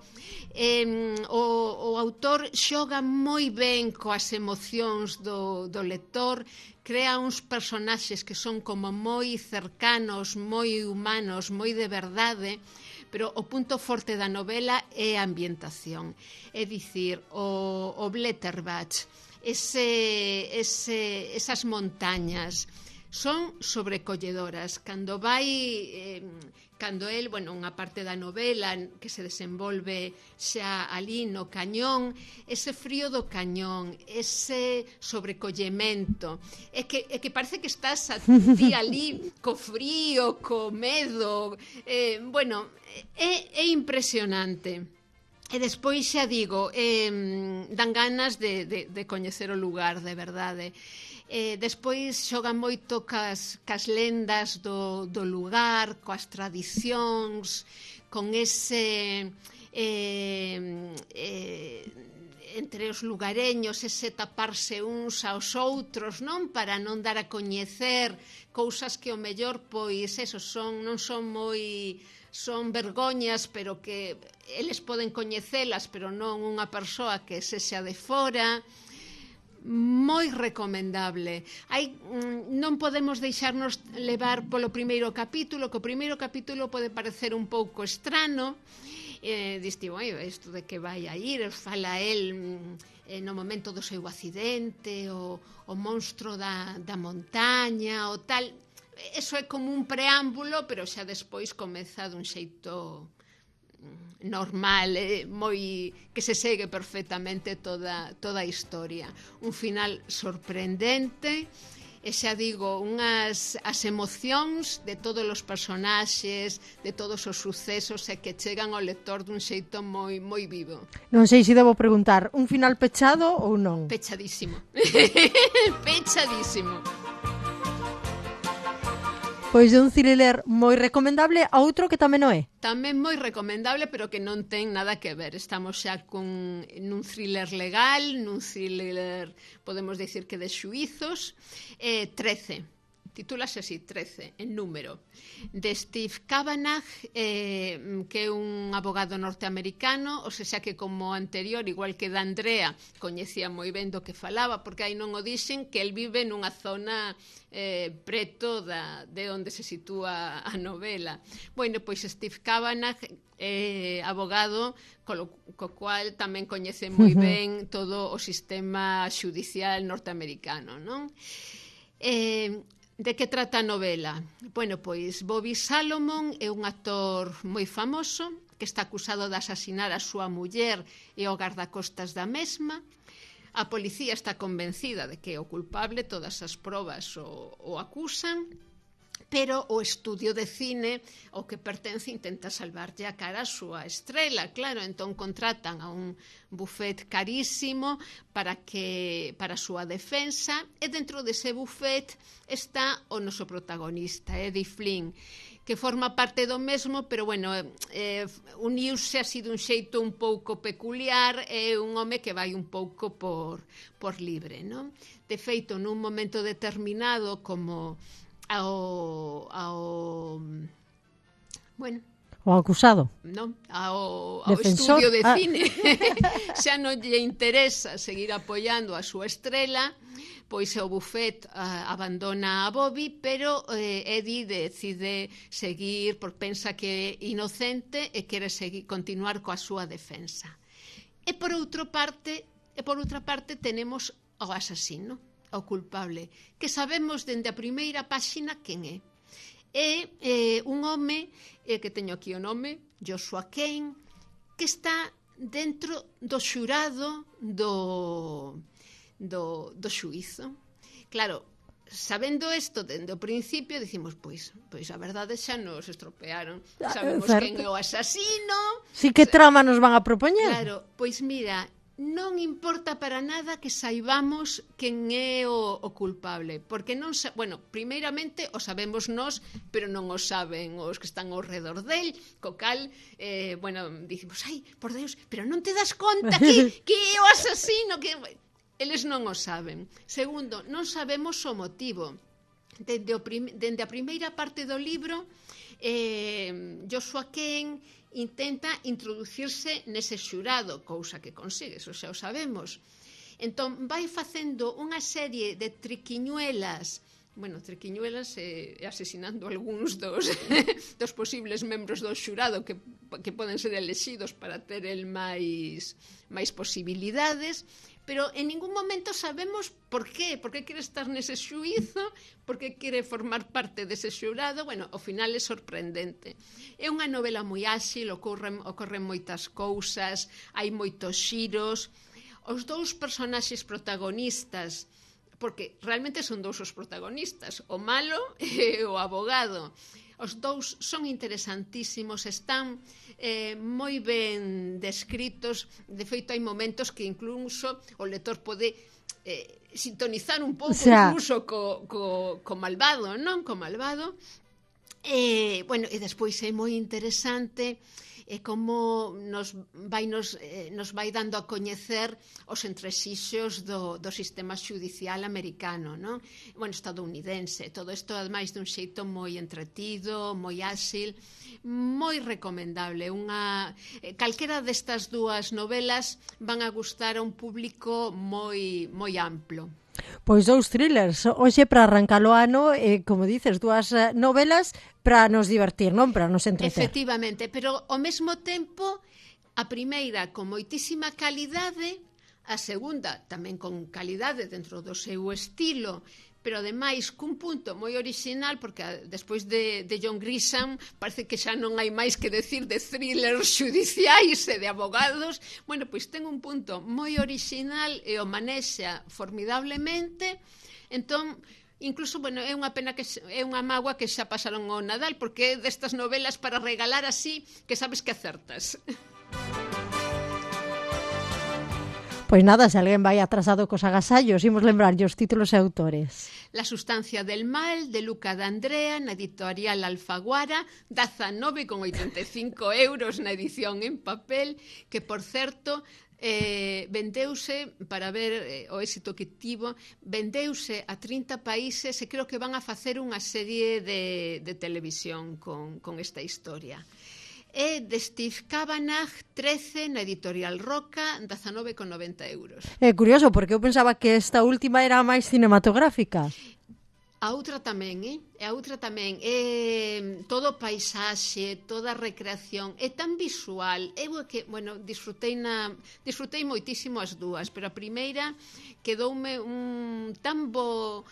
O autor xoga moi ben coas emocións do lector, crea uns personaxes que son como moi cercanos, moi humanos, moi de verdade, pero o punto forte da novela é a ambientación. É dicir, o Blätterbach, esas montañas son sobrecolledoras. Cando el, unha parte da novela que se desenvolve xa ali no cañón, ese frío do cañón, ese sobrecollemento, é que parece que estás a ti ali co frío, co medo, é impresionante. E despois xa digo, dan ganas de coñecer o lugar, de verdade. Despois xogan moito cas lendas do lugar, coas tradicións, con ese entre os lugareños, ese taparse uns aos outros, non? Para non dar a coñecer cousas que o mellor non son moi... son vergoñas, pero que eles poden coñecelas, pero non unha persoa que sexa de fora. Moi recomendable. Non podemos deixarnos levar polo primeiro capítulo, que o primeiro capítulo pode parecer un pouco estrano. Diste, isto de que vai a ir, fala el no momento do seu accidente, o monstro da montaña, o tal. Eso é como un preámbulo, pero xa despois comeza dun xeito normal, moi que se segue perfectamente toda a historia. Un final sorprendente, e xa digo, as emocións de todos os personaxes, de todos os sucesos e que chegan ao lector dun xeito moi vivo. Non sei se debo preguntar, un final pechado ou non? Pechadísimo. Pechadísimo. Pois de un thriller moi recomendable a outro que tamén o é. Tamén moi recomendable, pero que non ten nada que ver. Estamos xa nun thriller legal, nun thriller, podemos dicir que de xuizos. 13. Titúlase así, 13, en número. De Steve Kavanagh, que é un abogado norteamericano, ou seja que como anterior, igual que da Andrea, coñecía moi ben do que falaba, porque aí non o dixen, que el vive nunha zona preto de onde se sitúa a novela. Bueno, pois Steve Kavanagh é abogado, co cual tamén coñece moi ben todo o sistema xudicial norteamericano, non? De que trata a novela? Bueno, pois Bobby Salomon é un actor moi famoso que está acusado de asasinar a súa muller e o gardacostas da mesma. A policía está convencida de que é o culpable, todas as probas o acusan, pero o estudio de cine ao que pertence intenta salvarlle a cara a súa estrela, claro, entón contratan a un bufet carísimo para a súa defensa, e dentro dese bufet está o noso protagonista, Eddie Flynn, que forma parte do mesmo, pero bueno, uniuse así dun xeito un pouco peculiar, é un home que vai un pouco por libre, non? De feito, nun momento determinado, como bueno, o acusado, non, ao estudio de cine xa non lle interesa seguir apoiando a súa estrela, pois o bufet abandona a Bobby, pero Eddie decide seguir, porque pensa que é inocente e quere continuar coa súa defensa. E por outra parte tenemos o asasino, o culpable, que sabemos dende a primeira páxina quen é. É un home, que teño aquí o nome, Joshua Kane, que está dentro do xurado do xuízo. Claro, sabendo isto dende o principio, dicimos, pois a verdade xa nos estropearon. Sabemos quen é o asasino. Si, que trama nos van a propoñer? Claro, pois mira, non importa para nada que saibamos quen é o culpable, porque non primeiramente o sabemos nós, pero non o saben os que están ao redor del, co cal, dicimos, ai, por Deus, pero non te das conta que é o asasino, que eles non o saben. Segundo, non sabemos o motivo. Dende a primeira parte do libro, Joshua Kane intenta introducirse nese xurado, cousa que consigue, eso xa o sabemos. Entón, vai facendo unha serie de triquiñuelas, e asesinando algúns dos posibles membros do xurado que poden ser elexidos para ter el máis posibilidades, pero en ningún momento sabemos por qué quere estar nese xuízo, por que quere formar parte dese xurado. Bueno, ao final é sorprendente. É unha novela moi áxil, ocorren moitas cousas, hai moitos xiros. Os dous personaxes protagonistas, porque realmente son dous os protagonistas, o malo e o abogado. Os dous son interesantísimos, están moi ben descritos. De feito, hai momentos que incluso o lector pode sintonizar un pouco incluso co malvado, non? Co malvado. E despois é moi interesante como nos vai dando a coñecer os entresixos do sistema xudicial americano, non? Estadounidense. Todo isto, ademais, dun xeito moi entretido, moi áxil, moi recomendable. Calquera destas dúas novelas van a gustar a un público moi amplo. Pois dous thrillers, hoxe para arrancar o ano, como dices, dúas novelas para nos divertir, non? Para nos entreter. Efectivamente, pero ao mesmo tempo, a primeira con moitísima calidade, a segunda tamén con calidade dentro do seu estilo, pero ademais cun punto moi orixinal, porque despois de John Grisham parece que xa non hai máis que decir de thrillers xudiciais e de abogados. Bueno, pois ten un punto moi orixinal e o manexa formidablemente. Entón, incluso, bueno, é unha pena que é unha mágoa que xa pasaron o Nadal, porque é destas novelas para regalar así que sabes que acertas. Pois nada, se alguén vai atrasado cos agasallos, imos lembrarlle os títulos e autores. La sustancia del mal, de Luca D'Andrea, na editorial Alfaguara, 19,85 euros na edición en papel, que, por certo, vendeuse, para ver o éxito que tivo, vendeuse a 30 países e creo que van a facer unha serie de televisión con esta historia. E de Steve Kavanagh, 13, na editorial Roca, 19,90 euros. É curioso, porque eu pensaba que esta última era máis cinematográfica. A outra tamén, A outra tamén. Todo paisaxe, toda recreación, é tan visual. Eu que, bueno, disfrutei moitísimo as dúas, pero a primeira quedoume un tan bo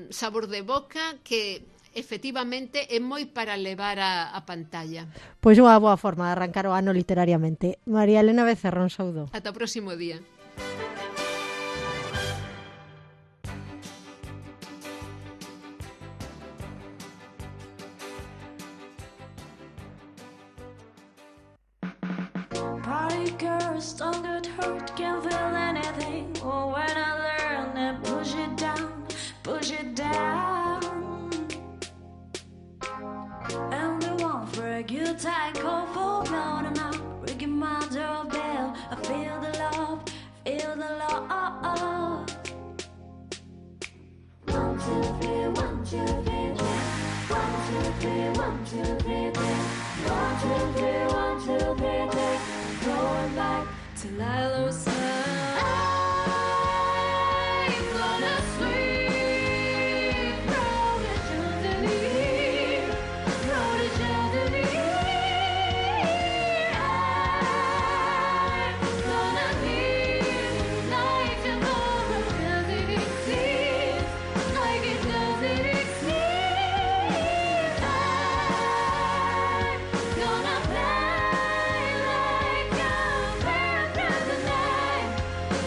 sabor de boca que efectivamente é moi para levar a pantalla. Pois unha boa forma de arrancar o ano literariamente. María Elena Becerra, un saúdo. Ata o próximo día. Party girls don't get hurt, can't feel anything. Oh, when I learn that push it down, push it down. And they want for a good time, call for blown and out, ringing my doorbell. I feel the love, feel the love. 1, 2, 3, 1, 2, 3, 1, 2, 3, 1, 2, 3, 1, 2, 3, 1, 2, 3, going back till I lose sight. I'm gonna sleep, roll the chandelier, roll the chandelier. I'm gonna live like tomorrow doesn't exist, like it doesn't exist. I'm gonna fly like a bird through the night,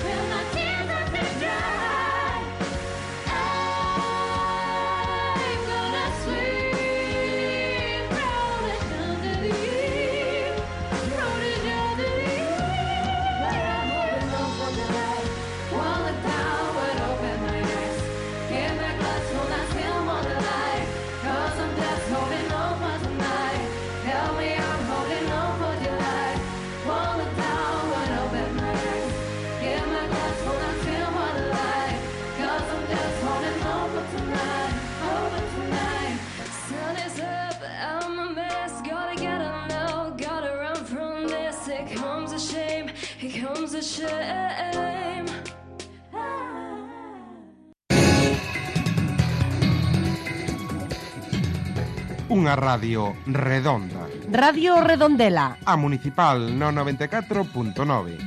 till my tears are dry. I'm gonna sleep, roll the chandelier, roll the chandelier. But I'm holding on for the light, won't look down when open my eyes. Give me a glass full and still want the light, 'cause I'm just holding on for tonight. Tell me I'm holding on for your light, won't look down when open my eyes. Give me a glass full and still want the light, 'cause I'm just holding on for tonight, over tonight. Sun is up, I'm a mess, gotta get up now, gotta run from this. Here comes a shame, here comes a shame. Unha radio redonda. Radio Redondela. A Municipal no 94.9.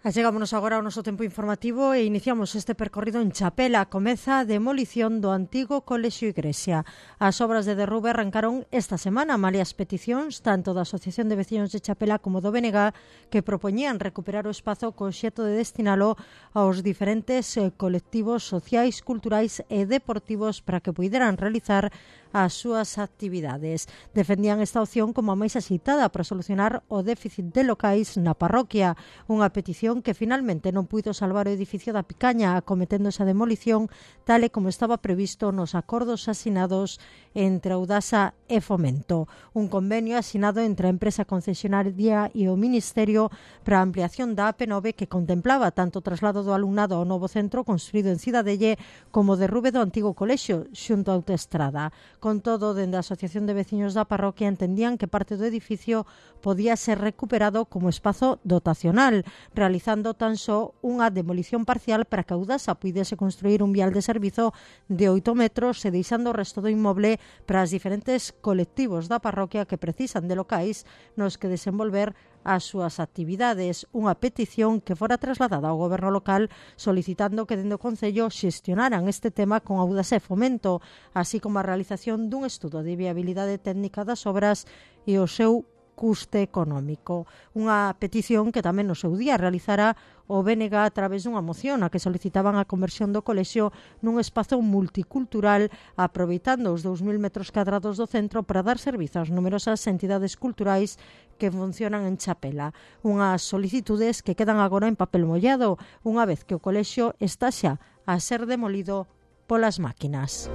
Achegámonos agora ao noso tempo informativo e iniciamos este percorrido en Chapela. Comeza a demolición do antigo Colexio Igrexa. As obras de derrube arrancaron esta semana, malia as peticións tanto da Asociación de Veciños de Chapela como do BNG, que propoñían recuperar o espazo co obxecto de destinalo aos diferentes colectivos sociais, culturais e deportivos para que puideran realizar as súas actividades. Defendían esta opción como a máis axeitada para solucionar o déficit de locais na parroquia, unha petición que finalmente non puido salvar o edificio da Picaña, acometendo esa demolición tal e como estaba previsto nos acordos asinados entre Audasa e Fomento. Un convenio asinado entre a empresa concesionaria e o Ministerio para a ampliación da AP9 que contemplaba tanto o traslado do alumnado ao novo centro construído en Cidadelle como o derrube do antigo colexio xunto á autoestrada. Con todo, dende a Asociación de Veciños da parroquia entendían que parte do edificio podía ser recuperado como espazo dotacional, realizando tan só unha demolición parcial para que a Audasa puidese construir un vial de servizo de 8 metros e deixando o resto do inmoble para os diferentes colectivos da parroquia que precisan de locais nos que desenvolver as súas actividades, unha petición que fora trasladada ao goberno local solicitando que dende o Concello xestionaran este tema con Audasa e Fomento, así como a realización dun estudo de viabilidade técnica das obras e o seu custe económico. Unha petición que tamén no seu día realizara o BNG a través dunha moción a que solicitaban a conversión do colexio nun espazo multicultural aproveitando os 2.000 metros cadrados do centro para dar servizo ás numerosas entidades culturais que funcionan en Chapela. Unhas solicitudes que quedan agora en papel mollado unha vez que o colexio está xa a ser demolido polas máquinas.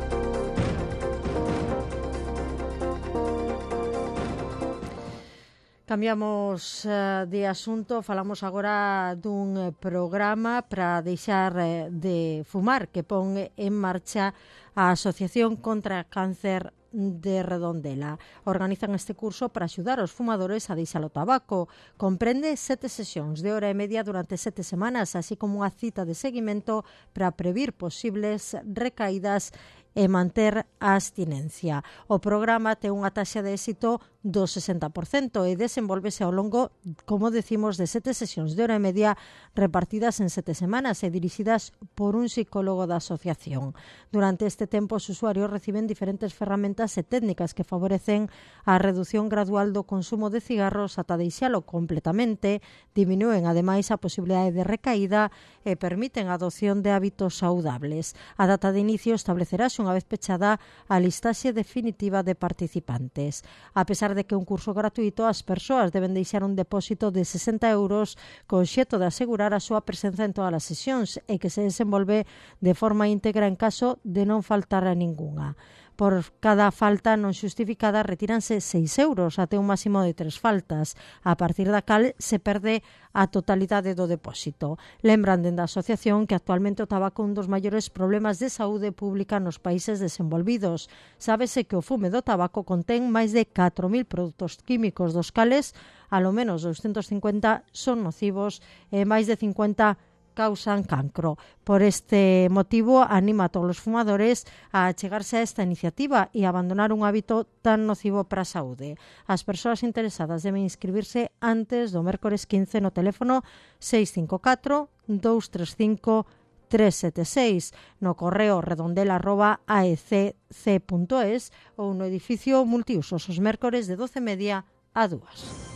Cambiamos de asunto, falamos agora dun programa para deixar de fumar que pon en marcha a Asociación contra o Cáncer de Redondela. Organizan este curso para axudar os fumadores a deixar o tabaco. Comprende 7 sesións de hora e media durante 7 semanas, así como unha cita de seguimento para previr posibles recaídas e manter a abstinencia. O programa ten unha taxa de éxito do 60% e desenvolvese ao longo, como decimos, de 7 sesións de hora e media repartidas en 7 semanas e dirixidas por un psicólogo da asociación. Durante este tempo, os usuarios reciben diferentes ferramentas e técnicas que favorecen a reducción gradual do consumo de cigarros ata deixalo completamente, diminúen ademais a posibilidade de recaída e permiten a adopción de hábitos saudables. A data de inicio establecerase unha vez pechada a listaxe definitiva de participantes. A pesar de que é un curso gratuito, as persoas deben deixar un depósito de 60 euros co obxecto de asegurar a súa presenza en todas as sesións e que se desenvolve de forma íntegra en caso de non faltar a ningunha. Por cada falta non xustificada retíranse 6 euros até un máximo de 3 faltas, a partir da cal se perde a totalidade do depósito. Lembran dende a asociación que actualmente o tabaco é un dos maiores problemas de saúde pública nos países desenvolvidos. Sábese que o fume do tabaco contén máis de 4.000 produtos químicos, dos cales alo menos 250 son nocivos e máis de 50 causan cancro. Por este motivo, anima a todos os fumadores a achegarse a esta iniciativa e abandonar un hábito tan nocivo para a saúde. As persoas interesadas deben inscribirse antes do mércores 15 no teléfono 654 235 376, no correo redondela@aecc.es ou no edificio multiusos os mércores de 12:30 a 2.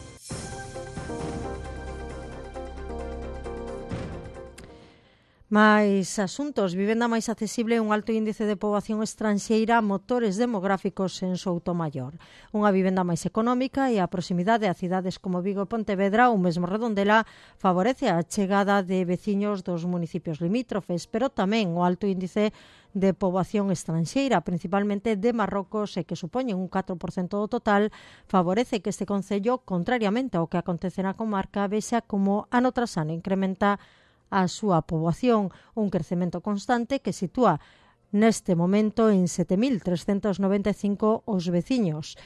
Mais asuntos, vivenda máis accesible e un alto índice de poboación estranxeira, motores demográficos en Soutomaior. Unha vivenda máis económica e a proximidade a cidades como Vigo e Pontevedra ou mesmo Redondela favorece a chegada de veciños dos municipios limítrofes, pero tamén o alto índice de poboación estranxeira, principalmente de Marrocos e que supoñen un 4% do total, favorece que este concello, contrariamente ao que acontece na comarca, vexa como ano tras ano incrementa a súa poboación, un crecemento constante que sitúa neste momento en 7.395 os veciños,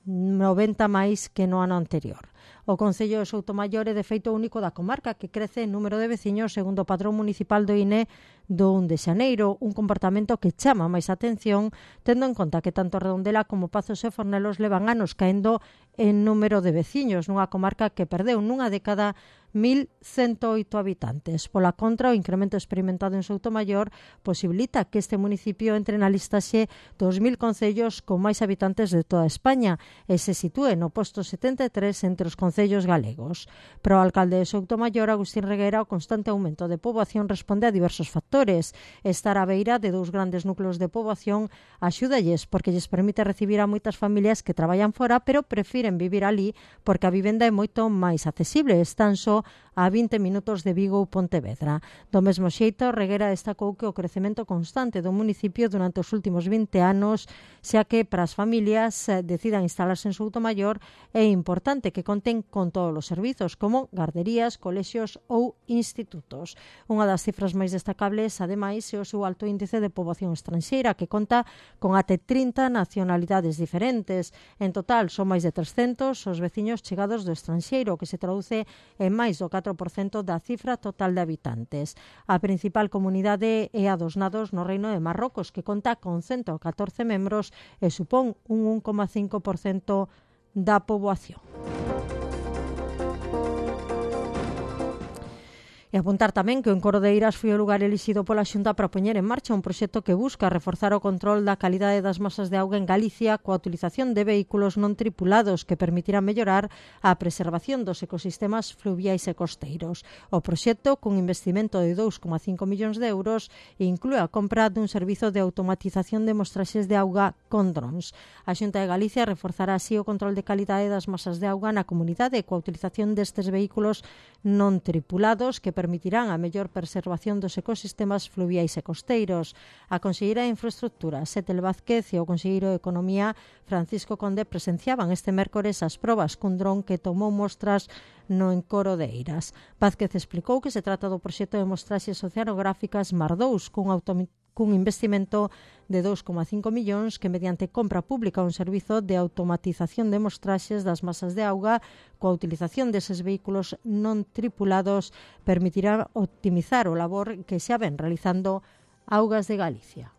90 máis que no ano anterior. O Concello de Soutomaior é de feito único da comarca que crece en número de veciños segundo o padrón municipal do INE do 1 de xaneiro, un comportamento que chama máis atención tendo en conta que tanto Redondela como Pazos e Fornelos levan anos caendo en número de veciños nunha comarca que perdeu nunha década 1.108 habitantes. Pola contra, o incremento experimentado en Soutomaior posibilita que este municipio entre na listaxe dos 1.000 concellos con máis habitantes de toda España e se sitúe no posto 73 entre os concellos galegos. Para o alcalde de Soutomaior, Agustín Reguera, o constante aumento de poboación responde a diversos factores. Estar á beira de dous grandes núcleos de poboación axúdalles porque lles permite recibir a moitas familias que traballan fora pero prefiren vivir ali porque a vivenda é moito máis accesible. Están só Centro, a 20 minutos de Vigo ou Pontevedra. Do mesmo xeito, Reguera destacou que o crecemento constante do municipio durante os últimos 20 anos, xa que para as familias decidan instalarse en Soutomaior, é importante que conten con todos os servizos, como garderías, colexios ou institutos. Unha das cifras máis destacables, ademais, é o seu alto índice de poboación estranxeira, que conta con até 30 nacionalidades diferentes. En total, son máis de 300 os veciños chegados do estranxeiro, que se traduce en máis do 4% da cifra total de habitantes. A principal comunidade é a dos nados no Reino de Marrocos, que conta con 114 membros e supón un 1,5% da poboación. E apuntar tamén que o Encoro de Eiras foi o lugar elixido pola Xunta para poñer en marcha un proxecto que busca reforzar o control da calidade das masas de auga en Galicia coa utilización de vehículos non tripulados que permitirá mellorar a preservación dos ecosistemas fluviais e costeiros. O proxecto, cun investimento de 2,5 millóns de euros, inclúe a compra dun servizo de automatización de mostraxes de auga con drons. A Xunta de Galicia reforzará así o control de calidade das masas de auga na comunidade coa utilización destes vehículos non tripulados que permitirán a mellor preservación dos ecosistemas fluviais e costeiros. A conselleira de Infraestructuras, Etel Vázquez, e o conselleiro de Economía, Francisco Conde, presenciaban este mércores as probas cun dron que tomou mostras no Encoro de Eiras. Vázquez explicou que se trata do proxecto de mostraxes oceanográficas Mar 2, cun investimento de 2,5 millóns que mediante compra pública un servizo de automatización de mostraxes das masas de auga coa utilización deses vehículos non tripulados permitirá optimizar o labor que xa ven realizando Augas de Galicia.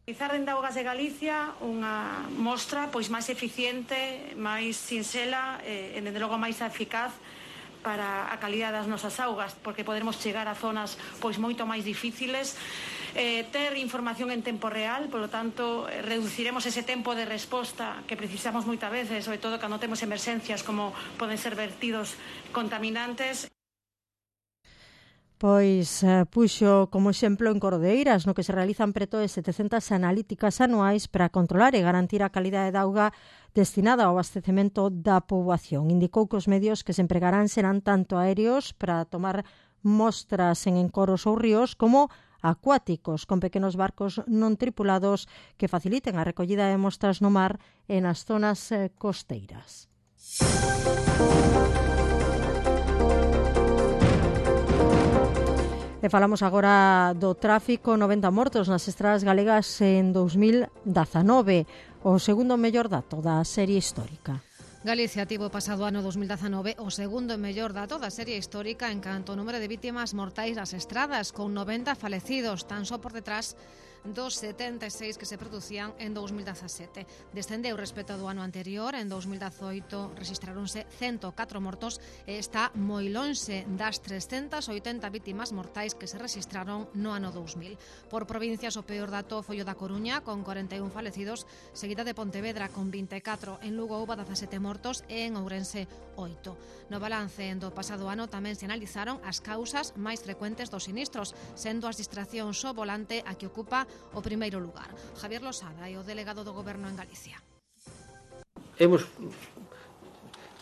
Realizar dende Augas de Galicia unha mostra pois máis eficiente, máis sinxela e dende logo máis eficaz para a calidade das nosas augas, porque poderemos chegar a zonas pois moito máis difíciles, ter información en tempo real, polo tanto reduciremos ese tempo de resposta que precisamos moitas veces, sobre todo cando temos emerxencias como poden ser vertidos contaminantes. Pois puxo como exemplo en Encoro de Eiras, no que se realizan preto de 700 analíticas anuais para controlar e garantir a calidade da auga destinada ao abastecemento da poboación. Indicou que os medios que se empregarán serán tanto aéreos para tomar mostras en encoros ou ríos como acuáticos, con pequenos barcos non tripulados que faciliten a recollida de mostras no mar e nas zonas costeiras. E falamos agora do tráfico, 90 mortos nas estradas galegas en 2019, o segundo mellor dato da serie histórica. Galicia tivo pasado ano 2019 o segundo mellor dato da serie histórica en canto ao número de vítimas mortais nas estradas, con 90 falecidos, tan só por detrás dos 76 que se producían en 2017. Descendeu respecto do ano anterior. En 2018 registraronse 104 mortos e está moi lonxe das 380 vítimas mortais que se registraron no ano 2000. Por provincias, o peor dato foi o da Coruña, con 41 falecidos, seguida de Pontevedra, con 24. En Lugo houve 17 mortos e en Ourense 8. No balance do pasado ano tamén se analizaron as causas máis frecuentes dos sinistros, sendo as distraccións ao volante a que ocupa o primeiro lugar. Javier Losada é o delegado do Goberno en Galicia. Hemos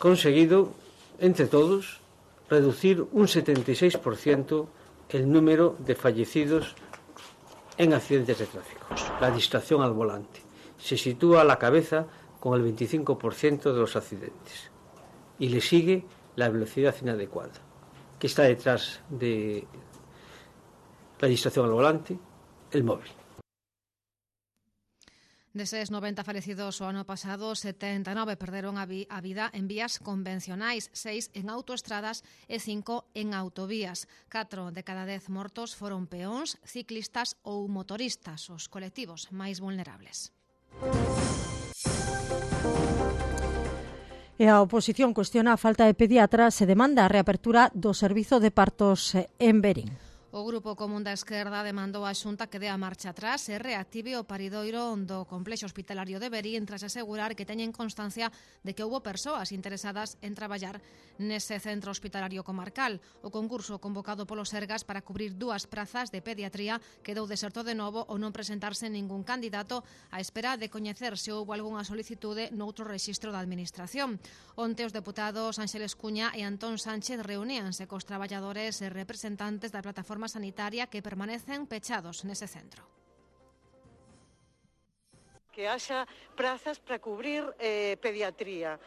conseguido, entre todos, reducir un 76% el número de fallecidos en accidentes de tráfico. La distracción al volante se sitúa a la cabeza con el 25% de los accidentes y le sigue la velocidad inadecuada, que está detrás de la distracción al volante, el móvil. Deses 90 falecidos o ano pasado, 79 perderon a vida en vías convencionais, 6 en autoestradas e 5 en autovías. 4 de cada 10 mortos foron peóns, ciclistas ou motoristas, os colectivos máis vulnerables. E a oposición cuestiona a falta de pediatras e demanda a reapertura do servizo de partos en Verín. O Grupo Común da Esquerda demandou á Xunta que dé a marcha atrás e reactive o paridoiro do complexo hospitalario de Verín tras asegurar que teñen constancia de que houbo persoas interesadas en traballar nese centro hospitalario comarcal. O concurso convocado polo Sergas para cubrir 2 prazas de pediatría quedou deserto de novo ao non presentarse ningún candidato á espera de coñecer se houbo algunha solicitude noutro rexistro da Administración. Onte os deputados Ánxeles Cuña e Antón Sánchez reuníanse cos traballadores e representantes da plataforma sanitaria que permanecen pechados nese centro. Que haxa prazas para cubrir pediatría.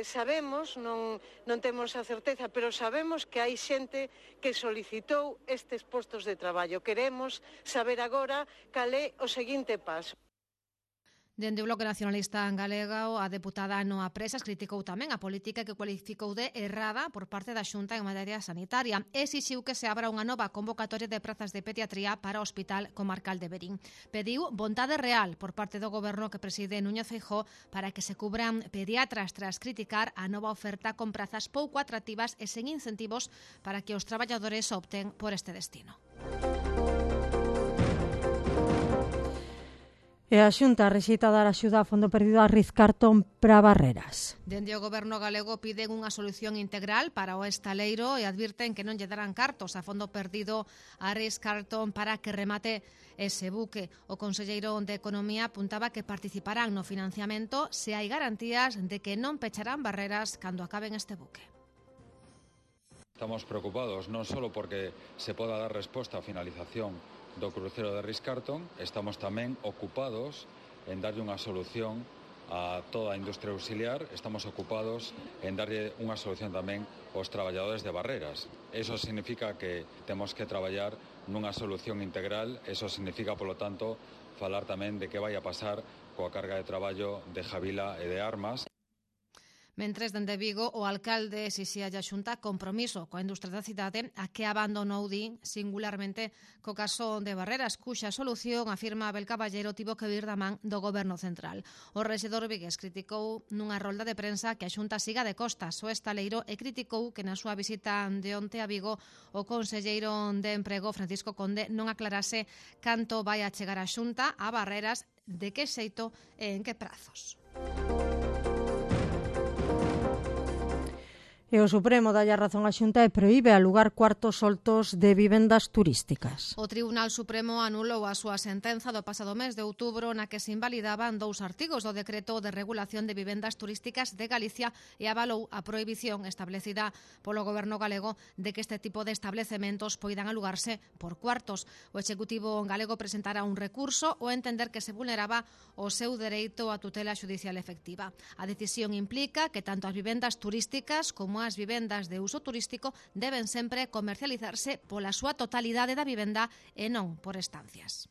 Sabemos, non temos a certeza, pero sabemos que hai xente que solicitou estes postos de traballo. Queremos saber agora cal é o seguinte paso. Dende o Bloque Nacionalista Galego, a deputada Noa Presas criticou tamén a política que cualificou de errada por parte da Xunta en materia sanitaria. Exixiu que se abra unha nova convocatoria de prazas de pediatría para o Hospital Comarcal de Verín. Pediu vontade real por parte do goberno que preside Núñez Feijóo para que se cubran pediatras tras criticar a nova oferta con prazas pouco atractivas e sen incentivos para que os traballadores opten por este destino. E a Xunta rexeita dar axuda a fondo perdido a Rizcarton para Barreras. Dende o goberno galego piden unha solución integral para o estaleiro e advirten que non lle darán cartos a fondo perdido a Rizcarton para que remate ese buque. O conselleiro de Economía apuntaba que participarán no financiamento se hai garantías de que non pecharán barreras cando acaben este buque. Estamos preocupados non só porque se poda dar resposta á finalización do crucero de Rizcarton, estamos tamén ocupados en darlle unha solución a toda a industria auxiliar, estamos ocupados en darlle unha solución tamén aos traballadores de Barreras. Eso significa que temos que traballar nunha solución integral, eso significa, polo tanto, falar tamén de que vai a pasar coa carga de traballo de Javila e de Armas. Mentres, dende Vigo, o alcalde exixía a Xunta compromiso coa industria da cidade a que abandonou din singularmente co caso de Barreras, cuxa solución, afirma Abel Caballero, tivo que vir da man do goberno central. O rexedor vigués criticou nunha rolda de prensa que a Xunta siga de costas o estaleiro e criticou que na súa visita de onte a Vigo o conselleiro de Emprego, Francisco Conde, non aclarase canto vai a chegar a Xunta a Barreras, de que xeito e en que prazos. E o Supremo dalle a razón á Xunta e proíbe alugar cuartos soltos de vivendas turísticas. O Tribunal Supremo anulou a súa sentenza do pasado mes de outubro na que se invalidaban 2 artigos do Decreto de Regulación de Vivendas Turísticas de Galicia e avalou a prohibición establecida polo Goberno galego de que este tipo de establecementos poidan alugarse por cuartos. O Executivo galego presentara un recurso ao entender que se vulneraba o seu dereito a tutela xudicial efectiva. A decisión implica que tanto as vivendas turísticas como as vivendas de uso turístico deben sempre comercializarse pola súa totalidade da vivenda e non por estancias.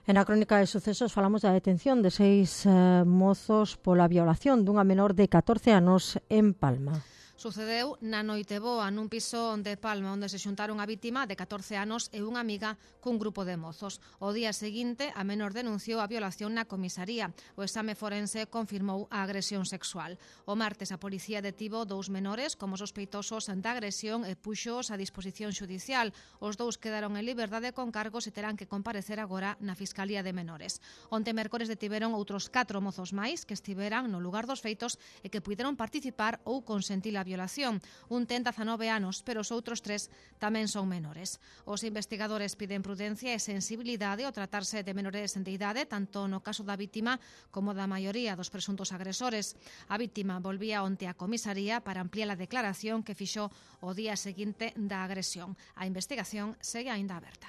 En a crónica de sucesos falamos da detención de 6 mozos pola violación dunha menor de 14 anos en Palma. Sucedeu na Noiteboa, nun piso de Palma, onde se xuntaron a vítima de 14 anos e unha amiga cun grupo de mozos. O día seguinte, a menor denunciou a violación na comisaría. O exame forense confirmou a agresión sexual. O martes, a policía detivo 2 menores como sospeitosos da agresión e puxos a disposición xudicial. Os 2 quedaron en liberdade con cargos e terán que comparecer agora na Fiscalía de Menores. Onte mércores detiveron outros 4 mozos máis que estiveran no lugar dos feitos e que puideron participar ou consentir a violación. Un ten 19 anos, pero os outros 3 tamén son menores. Os investigadores piden prudencia e sensibilidade ao tratarse de menores de idade, tanto no caso da vítima como da maioría dos presuntos agresores. A vítima volvía onte á comisaría para ampliar a declaración que fixo o día seguinte da agresión. A investigación segue aínda aberta.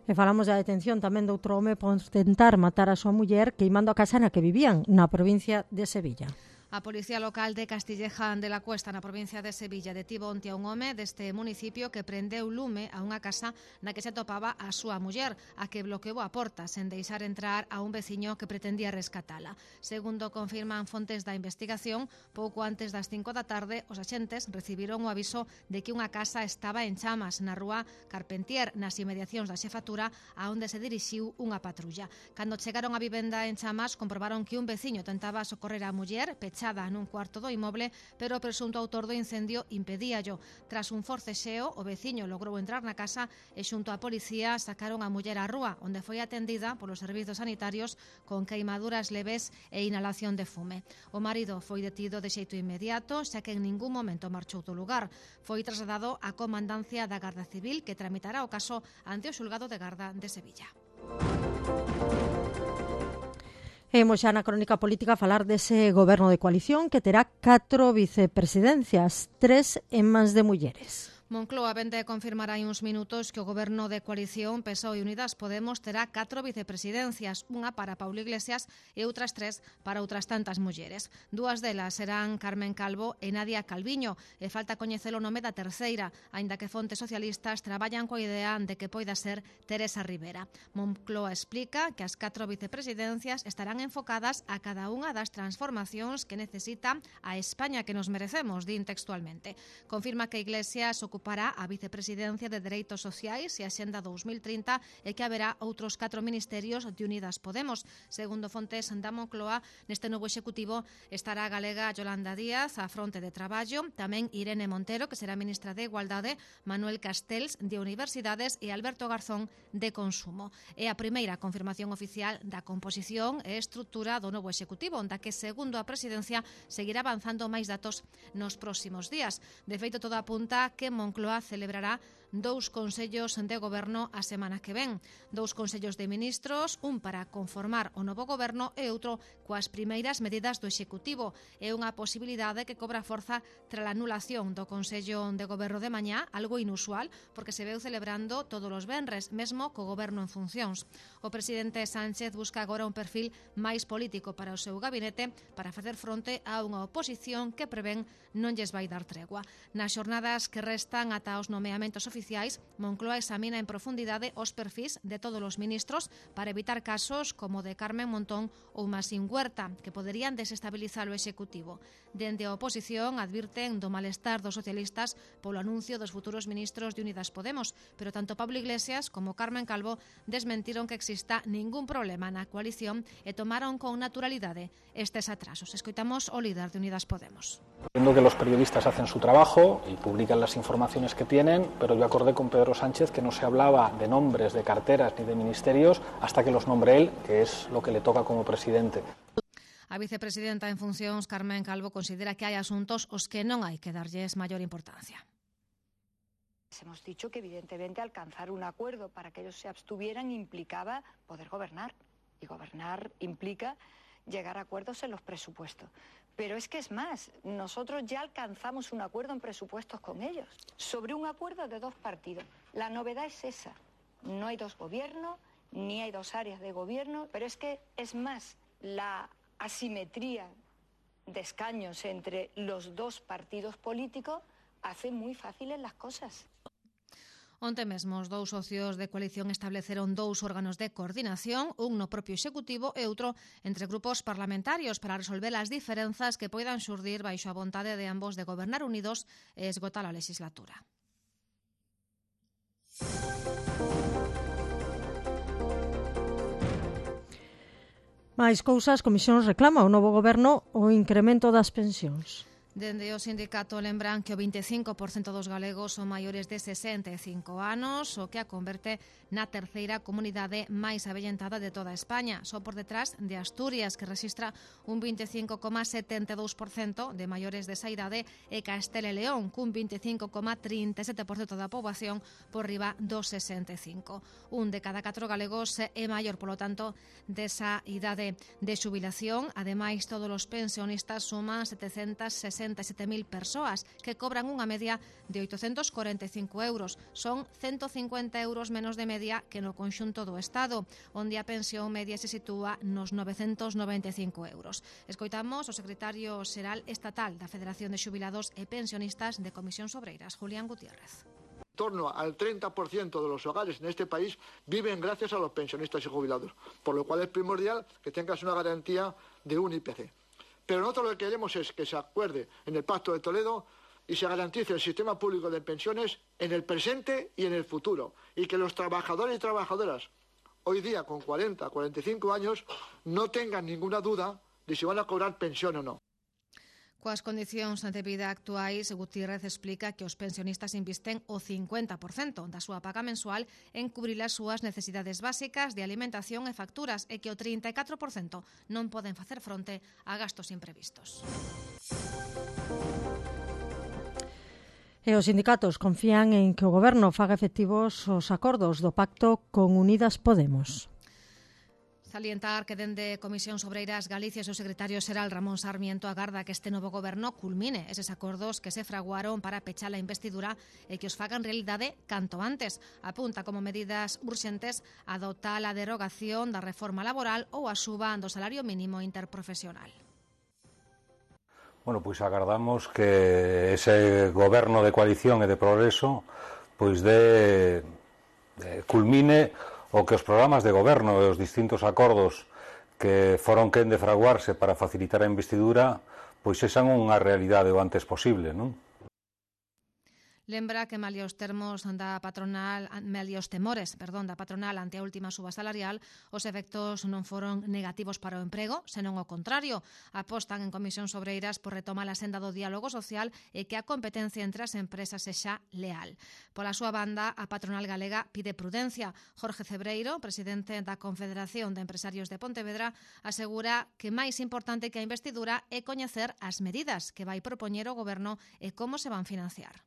E falamos da detención tamén de outro home por tentar matar a súa muller queimando a casa na que vivían, na provincia de Sevilla. A Policía Local de Castilleja de la Cuesta, na provincia de Sevilla, detivo onte a un home deste municipio que prendeu lume a unha casa na que se atopaba a súa muller, a que bloqueou a porta sen deixar entrar a un veciño que pretendía rescatala. Segundo confirman fontes da investigación, pouco antes das 5 da tarde, os axentes recibiron o aviso de que unha casa estaba en chamas na rúa Carpentier, nas inmediacións da xefatura, a onde se dirixiu unha patrulla. Cando chegaron á vivenda en chamas, comprobaron que un veciño tentaba socorrer a muller, pechada pechada nun cuarto do inmoble, pero o presunto autor do incendio impedíallo. Tras un forcexeo, o veciño logrou entrar na casa e xunto á policía sacaron a muller á rúa, onde foi atendida polos servizos sanitarios con queimaduras leves e inhalación de fume. O marido foi detido de xeito inmediato, xa que en ningún momento marchou do lugar. Foi trasladado á comandancia da Garda Civil, que tramitará o caso ante o xulgado de Garda de Sevilla. Imos xa na crónica política a falar dese goberno de coalición que terá 4 vicepresidencias, 3 en mans de mulleres. Moncloa vende a confirmar hai uns minutos que o goberno de coalición PSOE e Unidas Podemos terá 4 vicepresidencias, unha para Paulo Iglesias e outras 3 para outras tantas mulleres. 2 delas serán Carmen Calvo e Nadia Calviño, e falta coñecer o nome da terceira, aínda que fontes socialistas traballan coa idea de que poida ser Teresa Rivera. Moncloa explica que as 4 vicepresidencias estarán enfocadas a cada unha das transformacións que necesita a España que nos merecemos, din textualmente. Confirma que Iglesias ocupará a vicepresidencia de Dereitos Sociais e a Xenda 2030 e que haberá outros 4 ministerios de Unidas Podemos. Segundo fontes da Moncloa, neste novo executivo estará a galega Yolanda Díaz á fronte de traballo, tamén Irene Montero, que será ministra de Igualdade, Manuel Castells de Universidades e Alberto Garzón de Consumo. É a primeira confirmación oficial da composición e estrutura do novo executivo, onde que, segundo a presidencia, seguirá avanzando máis datos nos próximos días. De feito, todo apunta que Moncloa celebrará 2 consellos de goberno a semana que ven. 2 consellos de ministros, un para conformar o novo goberno e outro coas primeiras medidas do Executivo. É unha posibilidade que cobra forza tras a anulación do Consello de Goberno de mañá, algo inusual, porque se veu celebrando todos os venres, mesmo co goberno en funcións. O presidente Sánchez busca agora un perfil máis político para o seu gabinete para facer fronte a unha oposición que prevén non lles vai dar tregua. Nas xornadas que restan ata os nomeamentos oficiais, Moncloa examina en profundidade os perfis de todos os ministros para evitar casos como o de Carmen Montón ou Masín Huerta, que poderían desestabilizar o Executivo. Dende a oposición advirten do malestar dos socialistas polo anuncio dos futuros ministros de Unidas Podemos, pero tanto Pablo Iglesias como Carmen Calvo desmentiron que exista ningún problema na coalición e tomaron con naturalidade estes atrasos. Escoitamos o líder de Unidas Podemos. Entiendo que los periodistas hacen su trabajo y publican las informaciones que tienen, pero yo acordé con Pedro Sánchez que no se hablaba de nombres, de carteras ni de ministerios hasta que los nombre él, que es lo que le toca como presidente. A vicepresidenta en funcións, Carmen Calvo, considera que hai asuntos os que non hai que darlles maior importancia. Hemos dicho que evidentemente alcanzar un acuerdo para que ellos se abstuvieran implicaba poder gobernar, y gobernar implica llegar a acuerdos en los presupuestos. Pero es que es más, nosotros ya alcanzamos un acuerdo en presupuestos con ellos, sobre un acuerdo de 2 partidos. La novedad es esa, no hay 2 gobiernos, ni hay 2 áreas de gobierno, pero es que es más, la asimetría de escaños entre los 2 partidos políticos hace muy fáciles las cosas. Onte mesmo os 2 socios de coalición estableceron 2 órganos de coordinación, un no propio Executivo e outro entre grupos parlamentarios para resolver as diferenzas que poidan xurdir baixo a vontade de ambos de gobernar unidos e esgotar a legislatura. Mais cousas, Comisións reclama o novo goberno o incremento das pensións. Dende o sindicato lembran que o 25% dos galegos son maiores de 65 anos, o que a converte na terceira comunidade máis avellentada de toda España, só por detrás de Asturias, que registra un 25,72% de maiores desa idade, e Castela e León, cun 25,37% da poboación por riba dos 65. Un de cada 4 galegos é maior, polo tanto, desa idade de xubilación. Ademais, todos os pensionistas suman 767.000 persoas que cobran unha media de 845 euros. Son 150 euros menos de media que no conxunto do Estado, onde a pensión media se sitúa nos 995 euros. Escoitamos o secretario xeral estatal da Federación de Xubilados e Pensionistas de Comisións Obreiras, Julián Gutiérrez. En torno al 30% de los hogares en este país viven gracias a los pensionistas y jubilados, por lo cual es primordial que tengas una garantía de un IPC. Pero nosotros lo que queremos es que se acuerde en el Pacto de Toledo y se garantice el sistema público de pensiones en el presente y en el futuro, y que los trabajadores y trabajadoras hoy día con 40, 45 años no tengan ninguna duda de si van a cobrar pensión o no. Coas condicións de vida actuais, Gutiérrez explica que os pensionistas invisten o 50% da súa paga mensual en cubrir as súas necesidades básicas de alimentación e facturas e que o 34% non poden facer fronte a gastos imprevistos. E os sindicatos confían en que o Goberno faga efectivos os acordos do pacto con Unidas Podemos. Salientar que dende Comisións Obreiras Galicia o seu secretario xeral Ramón Sarmiento agarda que este novo goberno culmine eses acordos que se fraguaron para pechar a investidura e que os fagan realidade canto antes. Apunta como medidas urxentes adoptar a derogación da reforma laboral ou a suba do salario mínimo interprofesional. Bueno, pois agardamos que ese goberno de coalición e de progreso pois culmine o que os programas de goberno e os distintos acordos que foron quen de fraguarse para facilitar a investidura pois sexan unha realidade o antes posible, non? Lembra que malia os temores da patronal ante a última suba salarial, os efectos non foron negativos para o emprego, senón ao contrario. Apostan en Comisións Obreiras por retomar a senda do diálogo social e que a competencia entre as empresas sexa leal. Pola súa banda, a patronal galega pide prudencia. Jorge Cebreiro, presidente da Confederación de Empresarios de Pontevedra, asegura que máis importante que a investidura é coñecer as medidas que vai propoñer o Goberno e como se van financiar.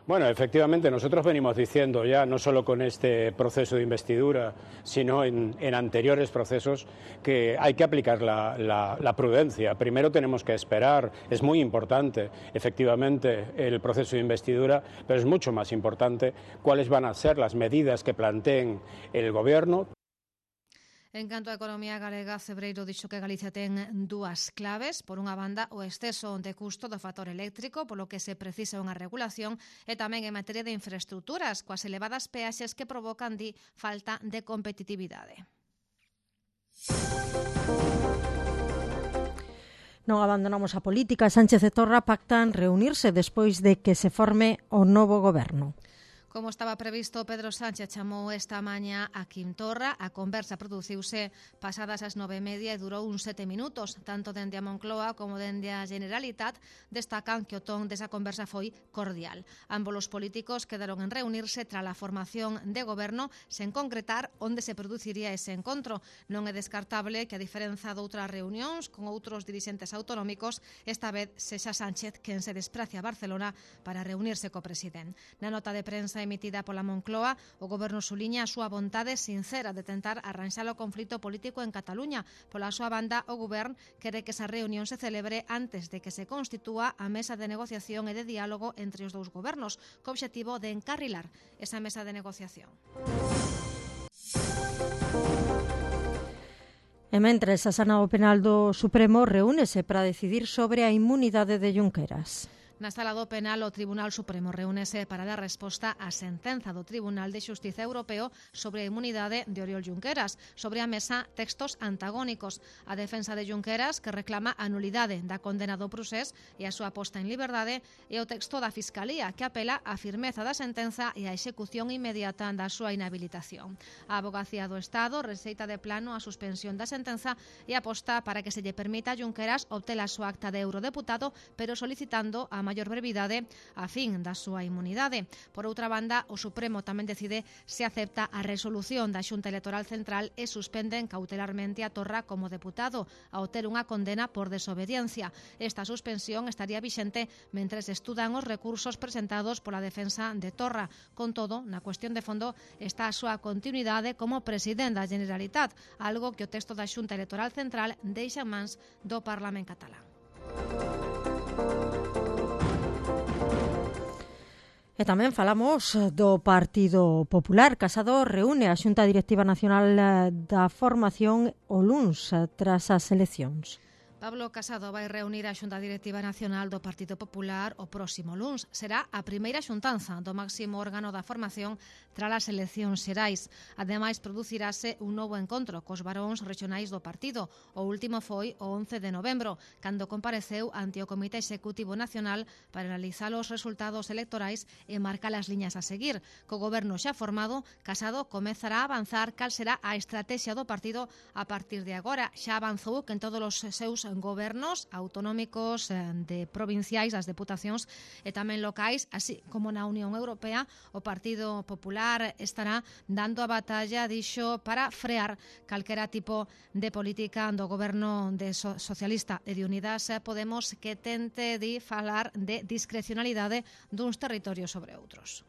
Bueno, efectivamente, nosotros venimos diciendo ya, no solo con este proceso de investidura, sino en anteriores procesos, que hay que aplicar la prudencia. Primero tenemos que esperar, es muy importante, efectivamente, el proceso de investidura, pero es mucho más importante cuáles van a ser las medidas que planteen el Gobierno. En canto á economía galega, Cebreiro dixo que Galicia ten dúas claves. Por unha banda, o exceso de custo do factor eléctrico, polo que se precisa unha regulación, e tamén en materia de infraestructuras, coas elevadas peaxes que provocan, falta de competitividade. Non abandonamos a política. Sánchez e Torra pactan reunirse despois de que se forme o novo goberno. Como estaba previsto, Pedro Sánchez chamou esta mañá a Quim Torra. A conversa produciuse pasadas as 9:30 e durou uns 7 minutos. Tanto dende a Moncloa como dende a Generalitat destacan que o ton desa conversa foi cordial. Ambos os políticos quedaron en reunirse tras a formación de goberno sen concretar onde se produciría ese encontro. Non é descartable que, a diferenza doutras reunións con outros dirixentes autonómicos, esta vez sexa Sánchez quen se desprace a Barcelona para reunirse co presidente. Na nota de prensa emitida pola Moncloa, o Goberno suliña a súa vontade sincera de tentar arranxar o conflito político en Cataluña. Pola súa banda, o Govern quere que esa reunión se celebre antes de que se constitúa a mesa de negociación e de diálogo entre os dous gobernos, co obxectivo de encarrilar esa mesa de negociación. E mentres, a Sala Penal do Supremo reúnese para decidir sobre a inmunidade de Junqueras. Na sala do penal, o Tribunal Supremo reúnese para dar resposta á sentenza do Tribunal de Xustiza Europeo sobre a inmunidade de Oriol Junqueras. Sobre a mesa, textos antagónicos. A defensa de Junqueras, que reclama a nulidade da condena do procés e a súa posta en liberdade, e o texto da Fiscalía, que apela á firmeza da sentenza e á execución inmediata da súa inhabilitación. A Avogacía do Estado receita de plano a suspensión da sentenza e aposta para que se lle permita a Junqueras obter a súa acta de eurodeputado, pero solicitando a maior brevidade a fin da súa inmunidade. Por outra banda, o Supremo tamén decide se acepta a resolución da Xunta Electoral Central e suspenden cautelarmente a Torra como deputado ao ter unha condena por desobediencia. Esta suspensión estaría vixente mentres estudan os recursos presentados pola defensa de Torra. Con todo, na cuestión de fondo está a súa continuidade como presidente da Generalitat, algo que o texto da Xunta Electoral Central deixa en mans do Parlamento catalán. E tamén falamos do Partido Popular. Casado reúne a Xunta Directiva Nacional da Formación o luns tras as eleccións. Pablo Casado vai reunir a Xunta Directiva Nacional do Partido Popular o próximo luns. Será a primeira xuntanza do máximo órgano da formación tras as eleccións xerais. Ademais, producirase un novo encontro cos varóns regionais do partido. O último foi o 11 de novembro, cando compareceu ante o Comité Executivo Nacional para analizar os resultados electorais e marcar as liñas a seguir. Co goberno xa formado, Casado comezará a avanzar cal será a estrategia do partido a partir de agora. Xa avanzou que en todos os seus gobernos autonómicos, de provinciais, das deputacións e tamén locais, así como na Unión Europea, o Partido Popular estará dando a batalla, dixo, para frear calquera tipo de política do goberno de socialista e de Unidas Podemos que tente de falar de discrecionalidade duns territorios sobre outros.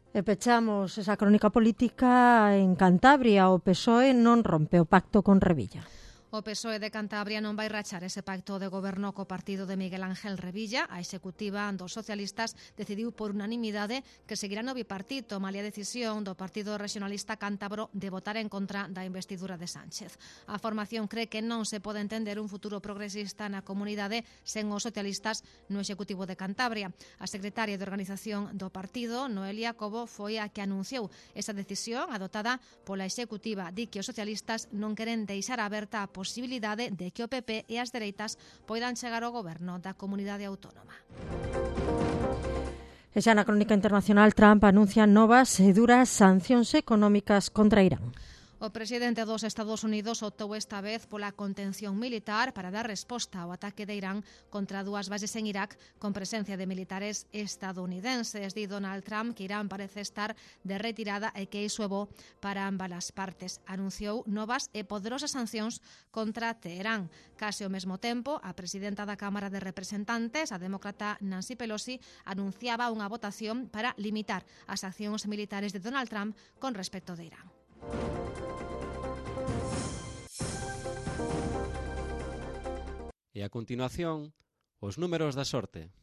E pechamos esa crónica política en Cantabria. O PSOE non rompe o pacto con Revilla. O PSOE de Cantabria non vai rachar ese pacto de goberno co partido de Miguel Ángel Revilla. A executiva dos socialistas decidiu por unanimidade que seguirá no bipartito, malia decisión do Partido Regionalista Cántabro de votar en contra da investidura de Sánchez. A formación cree que non se pode entender un futuro progresista na comunidade sen os socialistas no executivo de Cantabria. A secretaria de organización do partido, Noelia Cobo, foi a que anunciou esa decisión adoptada pola executiva. Di que os socialistas non queren deixar aberta a posibilidade de que o PP e as dereitas poidan chegar ao goberno da comunidade autónoma. E xa na crónica internacional, Trump anuncia novas e duras sancións económicas contra Irán. O presidente dos Estados Unidos optou esta vez pola contención militar para dar resposta ao ataque de Irán contra dúas bases en Irak con presencia de militares estadounidenses. Di Donald Trump que Irán parece estar de retirada e que iso é bo para ambas as partes. Anunciou novas e poderosas sancións contra Teherán. Case ao mesmo tempo, a presidenta da Cámara de Representantes, a demócrata Nancy Pelosi, anunciaba unha votación para limitar as accións militares de Donald Trump con respecto de Irán. E a continuación, os números da sorte.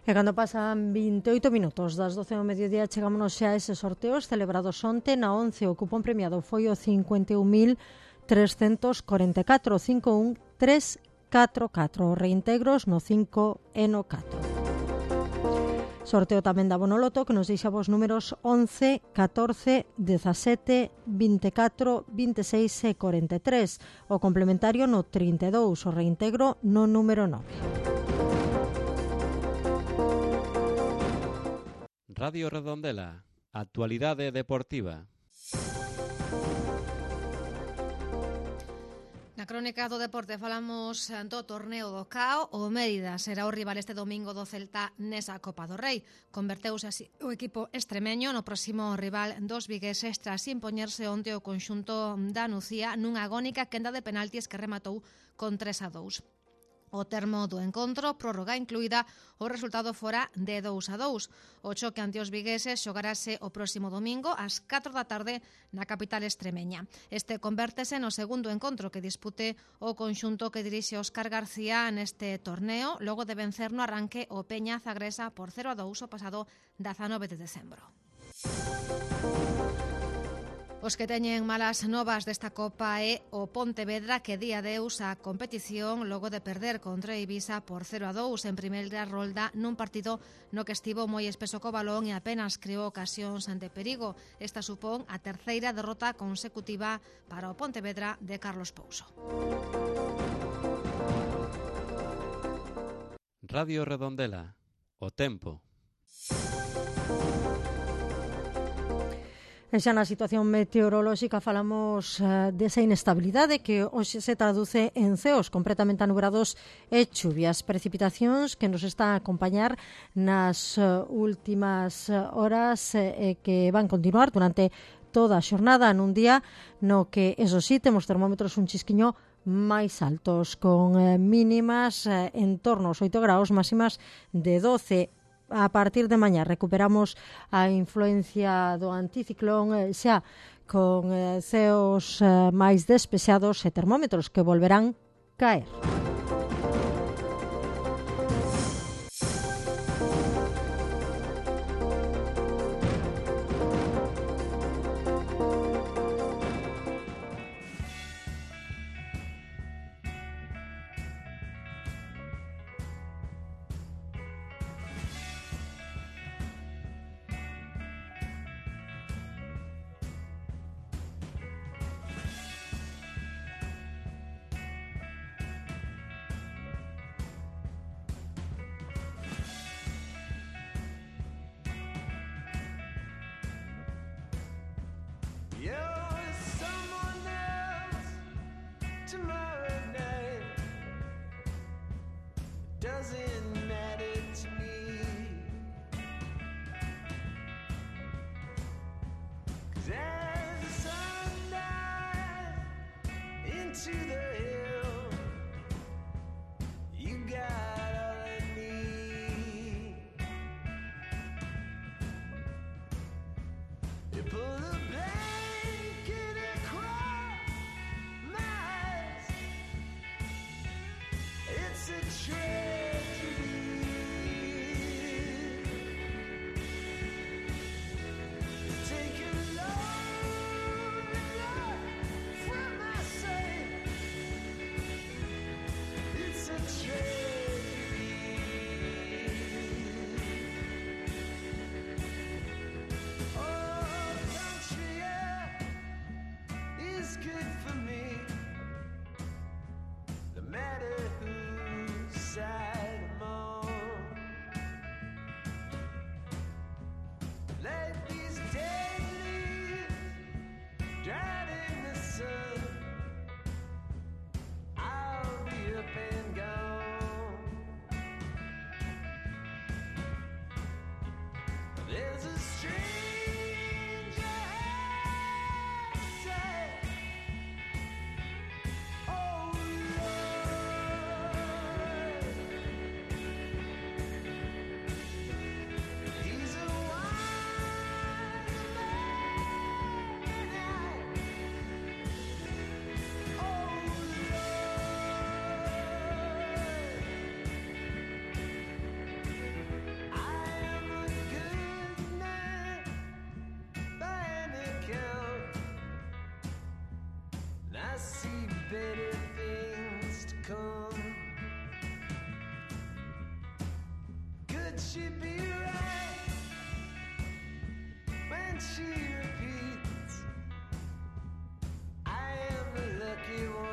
E cando pasan 28 minutos das 12 do mediodía, chegámonos xa a eses sorteos celebrados onte. Na 11 o cupón premiado foi o 51.344, 51344, reintegros no 5 e no 4. Sorteo tamén da Bonoloto, que nos deixa vos números 11, 14, 17, 24, 26 e 43. O complementario no 32, o reintegro no número 9. Radio Redondela, actualidade deportiva. Na crónica do deporte falamos do torneo do CAO. O Mérida será o rival este domingo do Celta nesa Copa do Rei. Converteuse así o equipo extremeño no próximo rival dos vigueses tras impoñerse onte o conxunto da Nucía nunha agónica quenda de penaltis que rematou con 3-2. O termo do encontro, prórroga incluída, o resultado fora de 2-2. O choque ante os vigueses xogarase o próximo domingo ás 4 da tarde na capital extremeña. Este convértese no segundo encontro que dispute o conxunto que dirixe Óscar García neste torneo, logo de vencer no arranque o Peña Zagresa por 0-2 o pasado 19 de decembro. Os que teñen malas novas desta Copa é o Pontevedra, que di adeus á competición logo de perder contra Ibiza por 0-2 en primeira rolda nun partido no que estivo moi espeso co balón e apenas creou ocasións de perigo. Esta supón a terceira derrota consecutiva para o Pontevedra de Carlos Pouso. Radio Redondela, o tempo. E xa na situación meteorolóxica falamos desa inestabilidade que hoxe se traduce en ceos completamente anubrados e chuvias, precipitacións que nos está a acompañar nas últimas horas e que van continuar durante toda a xornada nun día no que, eso sí, temos termómetros un chisquiño máis altos, con mínimas en torno aos 8 graus, máximas de 12. A partir de mañá recuperamos a influencia do anticiclón xa con ceos máis despexados e termómetros que volverán caer. doesn't matter to me. 'Cause as the sun dives into the hill, you got all I need. You pull the blanket across my eyes. It's a tragedy. Take a load from my sight. It's a tragedy. Oh, country air is good for me. No matter whose side I'm on. Let these dead leaves dried in the sun. I'll be up and gone. There's a stranger outside. Oh Lord, he's a wise man. Oh Lord, I am a good man by any account. And I see better things to come. Could she be right when she repeats, I am the lucky one?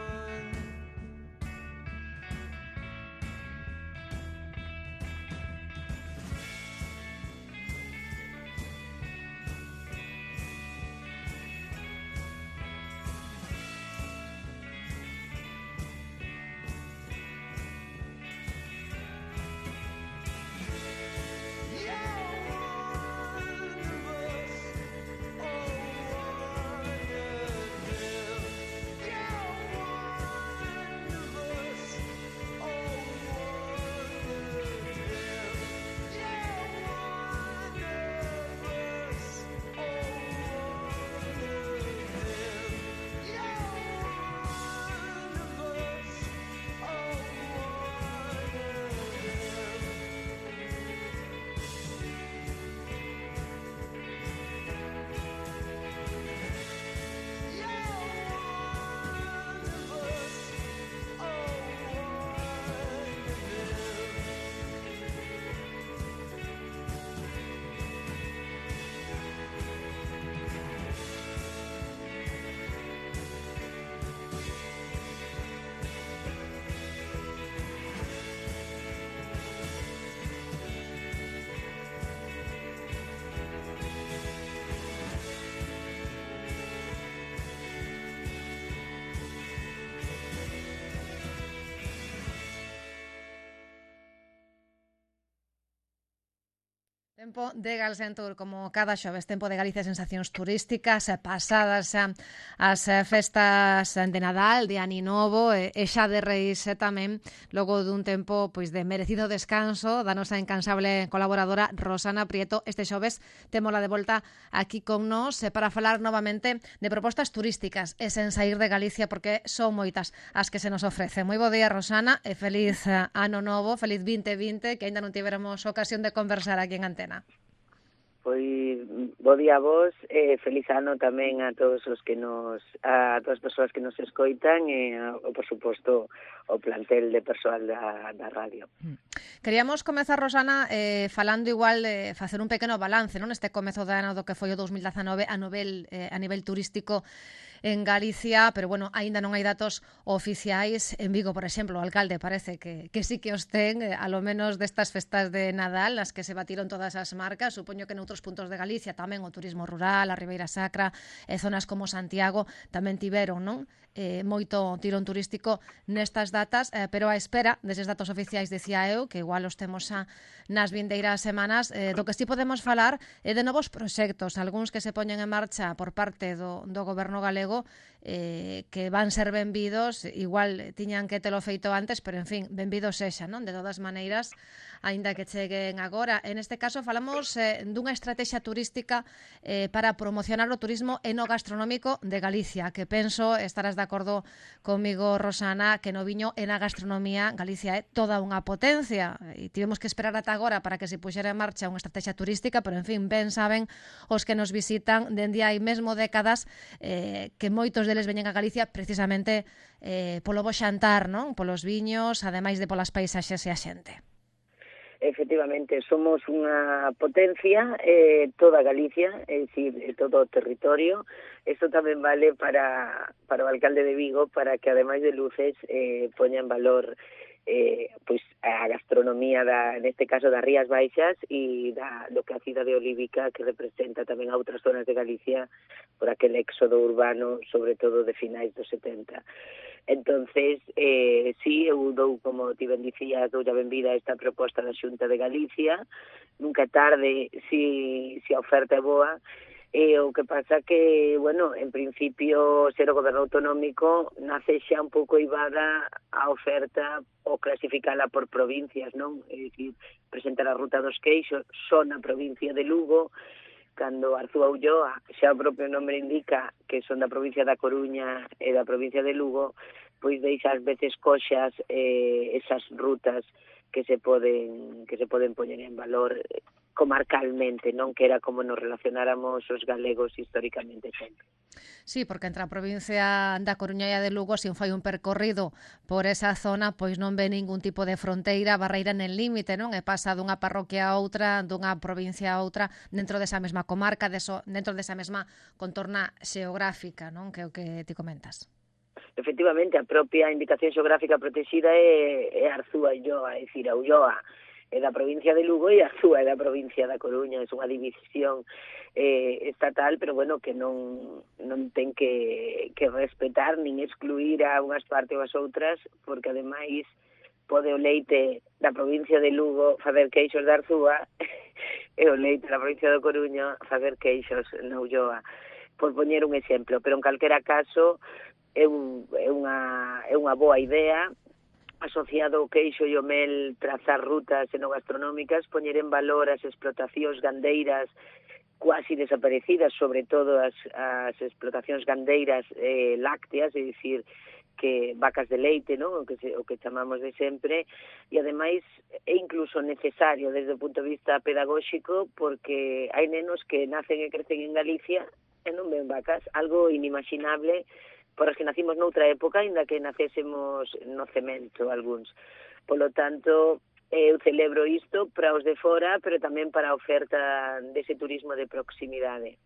Tempo de Galsentur, como cada xoves, tempo de Galicia, sensacións turísticas pasadas as festas de Nadal, de Ano Novo e xa de Reis tamén, logo dun tempo pois de merecido descanso da nosa incansable colaboradora Rosana Prieto. Este xoves témola de volta aquí con nós para falar novamente de propostas turísticas e sen sair de Galicia, porque son moitas as que se nos ofrecen. Moi bo día, Rosana, e feliz Ano Novo, feliz 2020, que aínda non tiveramos ocasión de conversar aquí en Antena. Pois bo día a vos, feliz ano tamén a todos os que a todas as persoas que nos escoitan e por suposto o plantel de persoal da radio. Queríamos comezar, Rosana, falando igual de facer un pequeno balance, non, este comezo de ano do que foi o 2019 a nivel turístico en Galicia, pero bueno, aínda non hai datos oficiais. En Vigo, por exemplo, o alcalde parece que sí que os ten, a lo menos destas festas de Nadal, nas que se batiron todas as marcas. Supoño que noutros puntos de Galicia tamén o turismo rural, a Ribeira Sacra, zonas como Santiago tamén tiveron, non? Moito tirón turístico nestas datas, pero a espera deses datos oficiais, decía eu, que igual os temos nas vindeiras semanas, do que sí podemos falar é de novos proxectos, algúns que se poñen en marcha por parte do goberno galego, que van ser benvidos, igual tiñan que telo feito antes, pero en fin, benvidos sexa, non? De todas maneiras, aínda que cheguen agora. En este caso falamos dunha estrategia turística para promocionar o turismo enogastronómico de Galicia, que penso estarás de acordo comigo, Rosana, que no viño e na gastronomía Galicia é toda unha potencia, e tivemos que esperar ata agora para que se puxera en marcha unha estrategia turística, pero en fin, ben saben os que nos visitan dende hai mesmo décadas que moitos deles veñen a Galicia precisamente polo bo xantar, non? Polos viños, ademais de polas paisaxes e a xente. Efectivamente, somos unha potencia, toda Galicia, é dicir, todo o territorio. Isto tamén vale para o alcalde de Vigo, para que, ademais de luces, poña en valor pois a gastronomía neste caso das Rías Baixas e do que a cidade olívica, que representa tamén a outras zonas de Galicia por aquel éxodo urbano, sobre todo de finais dos 70. Entonces, sí, eu dou, como ti ben dicías, dou a benvida a esta proposta da Xunta de Galicia. Nunca é tarde si a oferta é boa. O que pasa que, bueno, en principio, ser o goberno autonómico nace xa un pouco ibada a oferta ou clasificala por provincias, non? É dicir, presentar a Ruta dos Queixos só na provincia de Lugo, cando Arzúa Ulloa, xa o propio nome indica que son da provincia da Coruña e da provincia de Lugo, pois deixa ás veces coxas esas rutas que se poden poñer en valor comarcalmente, non? Que era como nos relacionáramos os galegos históricamente sempre. Sí, porque entre a provincia da Coruña e a de Lugo, se fai un percorrido por esa zona, pois non ve ningún tipo de fronteira, barreira nen límite, non? E pasa dunha parroquia a outra, dunha provincia a outra, dentro desa mesma comarca, dentro desa mesma contorna xeográfica, non? Que é o que ti comentas. Efectivamente, a propia indicación xeográfica protegida é Arzúa e Ulloa, é dicir, a Ulloa é da provincia de Lugo e Arzúa é da provincia da Coruña. É unha división estatal, pero bueno, que non ten que respetar nin excluir a unhas partes ou as outras, porque ademais pode o leite da provincia de Lugo facer queixos de Arzúa e o leite da provincia da Coruña facer queixos na Ulloa, por poñer un exemplo. Pero en calquera caso é unha boa idea, asociado ao queixo e o mel, trazar rutas enogastronómicas, poñer en valor as explotacións gandeiras quasi desaparecidas, sobre todo as explotacións gandeiras lácteas, é dicir, que vacas de leite, non? O que chamamos de sempre, e ademais é incluso necesario desde o punto de vista pedagóxico, porque hai nenos que nacen e crecen en Galicia e non ven vacas, algo inimaginable por as que nacimos noutra época, ainda que nacésemos no cemento algúns. Polo tanto, eu celebro isto para os de fora, pero tamén para a oferta dese turismo de proximidade.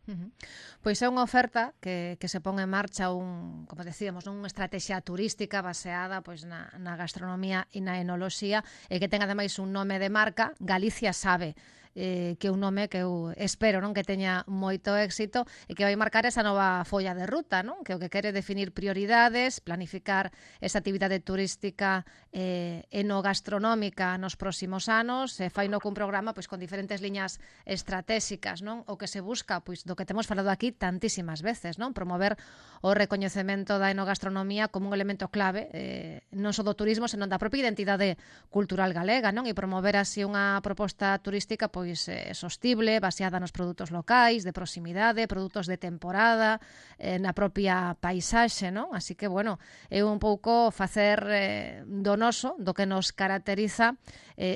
Pois é unha oferta que se pon en marcha como decíamos, unha estrategia turística baseada pois na gastronomía e na enoloxía, e que ten ademais un nome de marca, Galicia Sabe, que é un nome que eu espero, non, que teña moito éxito e que vai marcar esa nova folla de ruta, non? Que o que quere definir prioridades, planificar esa actividade turística enogastronómica nos próximos anos, fai no cun programa pois con diferentes liñas estratégicas, non? O que se busca, pois do que temos falado aquí tantísimas veces, non? Promover o recoñecemento da enogastronomía como un elemento clave non só do turismo, senón da propia identidade cultural galega, non? E promover así unha proposta turística pois sostible, baseada nos produtos locais, de proximidade, produtos de temporada, na propia paisaxe, non? Así que, bueno, é un pouco facer do noso, do que nos caracteriza,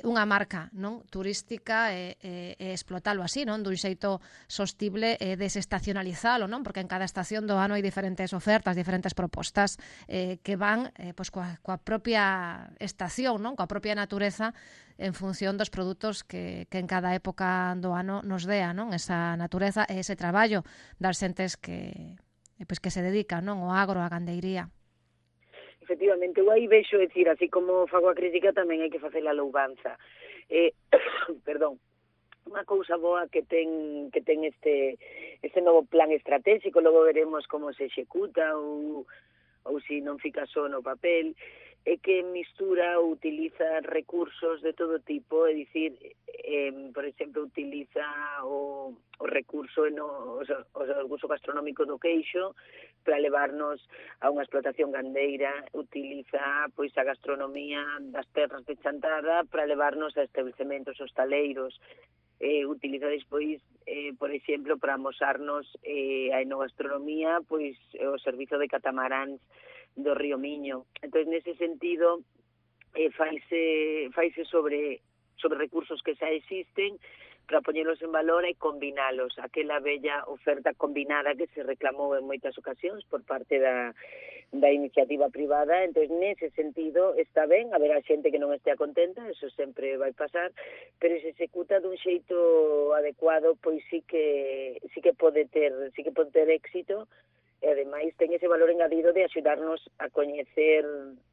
unha marca, non? Turística e explotalo así, non? Dun xeito sostible e desestacionalizalo, non? Porque en cada estación do ano hai diferentes ofertas, diferentes propostas que van pois coa propia estación, non? Coa propia natureza, en función dos produtos que en cada época do ano nos dea, non? Esa natureza e ese traballo das xentes que pois que se dedica, non, ao agro, á gandeiría. Efectivamente, eu aí vexo, decir, así como fago a crítica, tamén hai que facer a louvanza. Perdón, unha cousa boa que ten este novo plan estratégico, logo veremos como se executa ou se non fica só no papel, é que mistura ou utiliza recursos de todo tipo, é dicir, por exemplo, utiliza o recurso, o recurso gastronómico do queixo para levarnos a unha explotación gandeira, utiliza pois a gastronomía das terras de Chantada para levarnos a establecementos hostaleiros, utiliza despois, por exemplo, para amosarnos a enogastronomía, pois o servizo de catamaráns do Río Miño. Entón, nese sentido, faise sobre recursos que xa existen para poñelos en valor e combinalos, aquela bella oferta combinada que se reclamou en moitas ocasións por parte da iniciativa privada. Entón, nese sentido, está ben, haberá xente que non estea contenta, eso sempre vai pasar, pero se executa dun xeito adecuado, pois sí que pode ter éxito, e ademais ten ese valor engadido de axudarnos a coñecer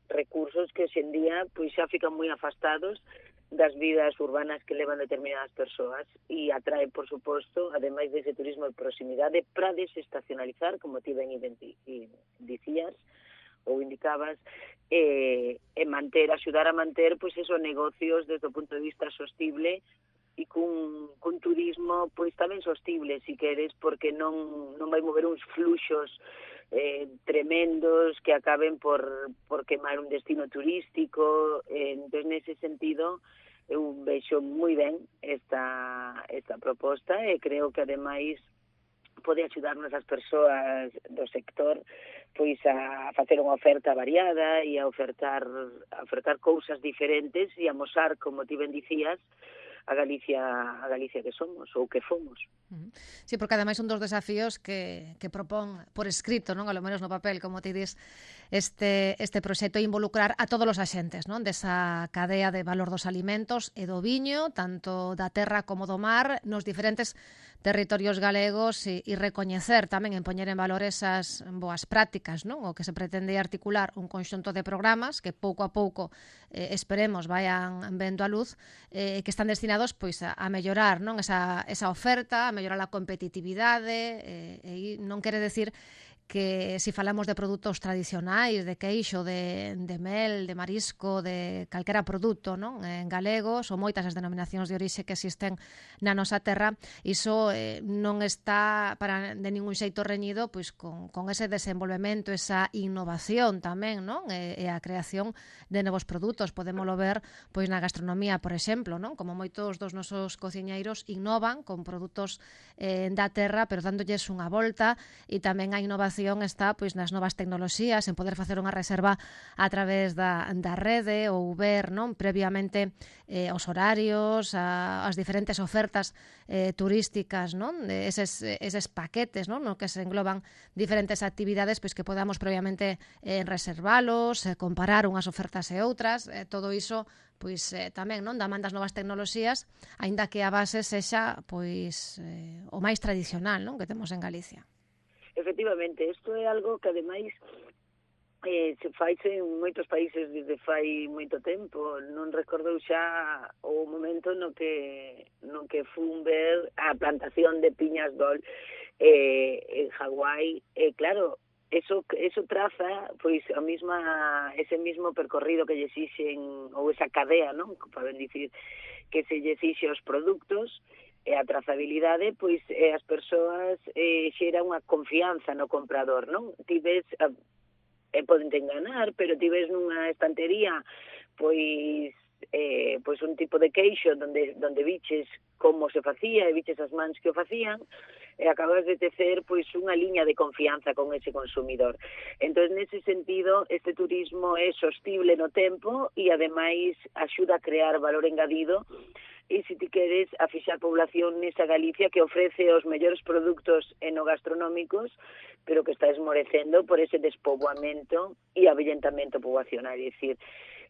recursos que hoxe en día pois xa fican moi afastados das vidas urbanas que levan determinadas persoas, e atrae, por suposto, ademais dese turismo de proximidade, para desestacionalizar, como ti ben dicías ou indicabas, e axudar a manter pois esos negocios desde o punto de vista sostible e cun turismo pois tamén sostible, si queres, porque non vai mover uns fluxos tremendos que acaben por quemar un destino turístico. Entón, nese sentido, eu vexo moi ben esta proposta, e creo que ademais pode axudarnos as persoas do sector pois a facer unha oferta variada e a ofertar cousas diferentes e amosar, como ti ben dicías, a Galicia que somos ou que fomos. Sí, porque ademais un dos desafíos que propón por escrito, non, a lo menos no papel, como ti dis, este proxecto é involucrar a todos os axentes, non, desa cadea de valor dos alimentos e do viño, tanto da terra como do mar, nos diferentes territorios galegos, e recoñecer tamén en poñer en valor esas boas prácticas, non? O que se pretende articular un conxunto de programas que pouco a pouco esperemos vayan vendo a luz, que están destinados pois a mellorar, non, esa oferta, a mellorar a competitividade, e non quere decir que se falamos de produtos tradicionais, de queixo, de mel, de marisco, de calquera produto, non, en galegos, ou moitas as denominacións de orixe que existen na nosa terra, iso non está de ningún xeito reñido pois con ese desenvolvemento, esa innovación tamén, non, e a creación de novos produtos. Podémolo ver pois na gastronomía, por exemplo, non, como moitos dos nosos cociñeiros innovan con produtos da terra, pero dándolles unha volta, e tamén a innovación está pois nas novas tecnoloxías, en poder facer unha reserva a través da rede, ou ver, non, previamente os horarios, as diferentes ofertas turísticas, non, eses paquetes, non, no que se engloban diferentes actividades, pois que podamos previamente reservalos, comparar unhas ofertas e outras, todo iso pois tamén, non, da man das novas tecnoloxías, aínda que a base sexa pois o máis tradicional, non, que temos en Galicia. Efectivamente, isto é algo que ademais se faixe en moitos países desde fai moito tempo. Non recordo xa o momento no que fun ver a plantación de piñas dol en Hawái. Claro, eso traza pois ese mismo percorrido que lle exixen, ou esa cadea, non, para dicir, que se lle exixe os produtos, e a trazabilidade, pois as persoas xera unha confianza no comprador, non? Ti ves, poden te enganar, pero ti ves nunha estantería pois un tipo de queixo donde viches como se facía e viches as mans que o facían, e acabas de tecer pois unha liña de confianza con ese consumidor. Entón, nese sentido, este turismo é sostible no tempo e ademais axuda a crear valor engadido, e se ti queres a fixar población nesa Galicia que ofrece os mellores produtos enogastronómicos, pero que está esmorecendo por ese despoboamento e avellentamento poboacional. É dicir,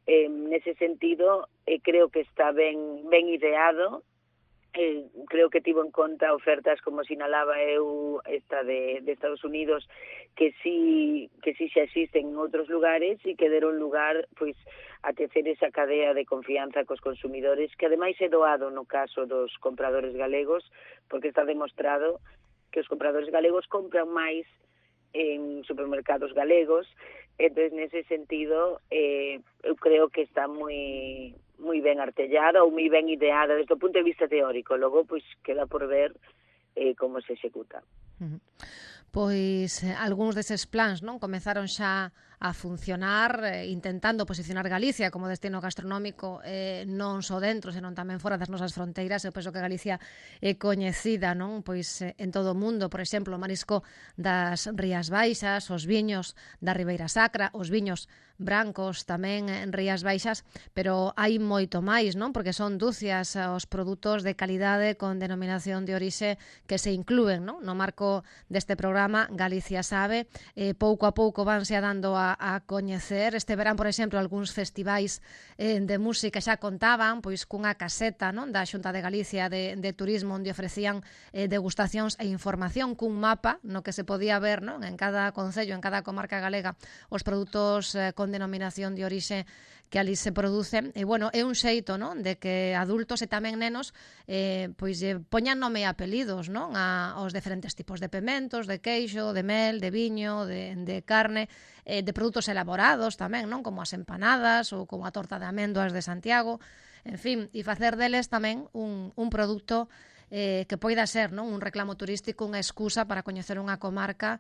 nese sentido, creo que está ben ideado, creo que tivo en conta ofertas como sinalaba eu esta de Estados Unidos que sí xa existen en outros lugares e que deron lugar pois a tecer esa cadea de confianza cos consumidores que ademais é doado no caso dos compradores galegos porque está demostrado que os compradores galegos compran máis en supermercados galegos. Entonces, nese sentido, eu creo que está moi ben artellada ou moi ben ideada desde o punto de vista teórico. Logo, pois, queda por ver como se executa. Pois algúns deses plans non comezaron xa a funcionar intentando posicionar Galicia como destino gastronómico non só dentro, senón tamén fora das nosas fronteiras. Eu penso que Galicia é coñecida non pois en todo o mundo, por exemplo, o marisco das Rías Baixas, os viños da Ribeira Sacra, os viños brancos tamén en Rías Baixas, pero hai moito máis, non? Porque son dúcias os produtos de calidade con denominación de orixe que se inclúen, non? No marco deste programa Galicia Sabe, pouco a pouco vanse dando a coñecer. Este verán, por exemplo, algúns festivais de música xa contaban pois cunha caseta, non? Da Xunta de Galicia de Turismo onde ofrecían degustacións e información cun mapa no que se podía ver, non? En cada concello, en cada comarca galega, os produtos con denominación de orixe que ali se producen. E, bueno, é un xeito, non? De que adultos e tamén nenos pois poñan nome e apelidos, non? Aos diferentes tipos de pementos, de queixo, de mel, de viño, de carne, de produtos elaborados tamén, non? Como as empanadas ou como a torta de amendoas de Santiago, en fin, e facer deles tamén un produto que poida ser, non? Un reclamo turístico, unha excusa para coñecer unha comarca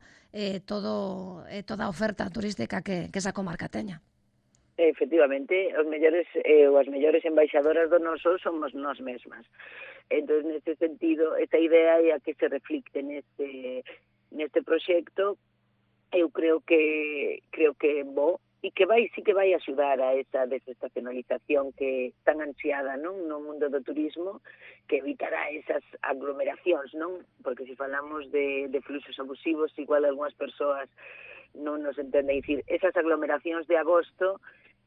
toda a oferta turística que esa comarca teña. Efectivamente, os mellores as mellores embaixadoras do noso somos nós mesmas. Entón, neste sentido, esta idea é a que se reflicte neste proxecto. Eu creo que é bo e que sí que vai axudar a esa desestacionalización que tan ansiada, non, no mundo do turismo, que evitará esas aglomeracións, non? Porque se falamos de fluxos abusivos, igual algunhas persoas non nos entenden dicir esas aglomeracións de agosto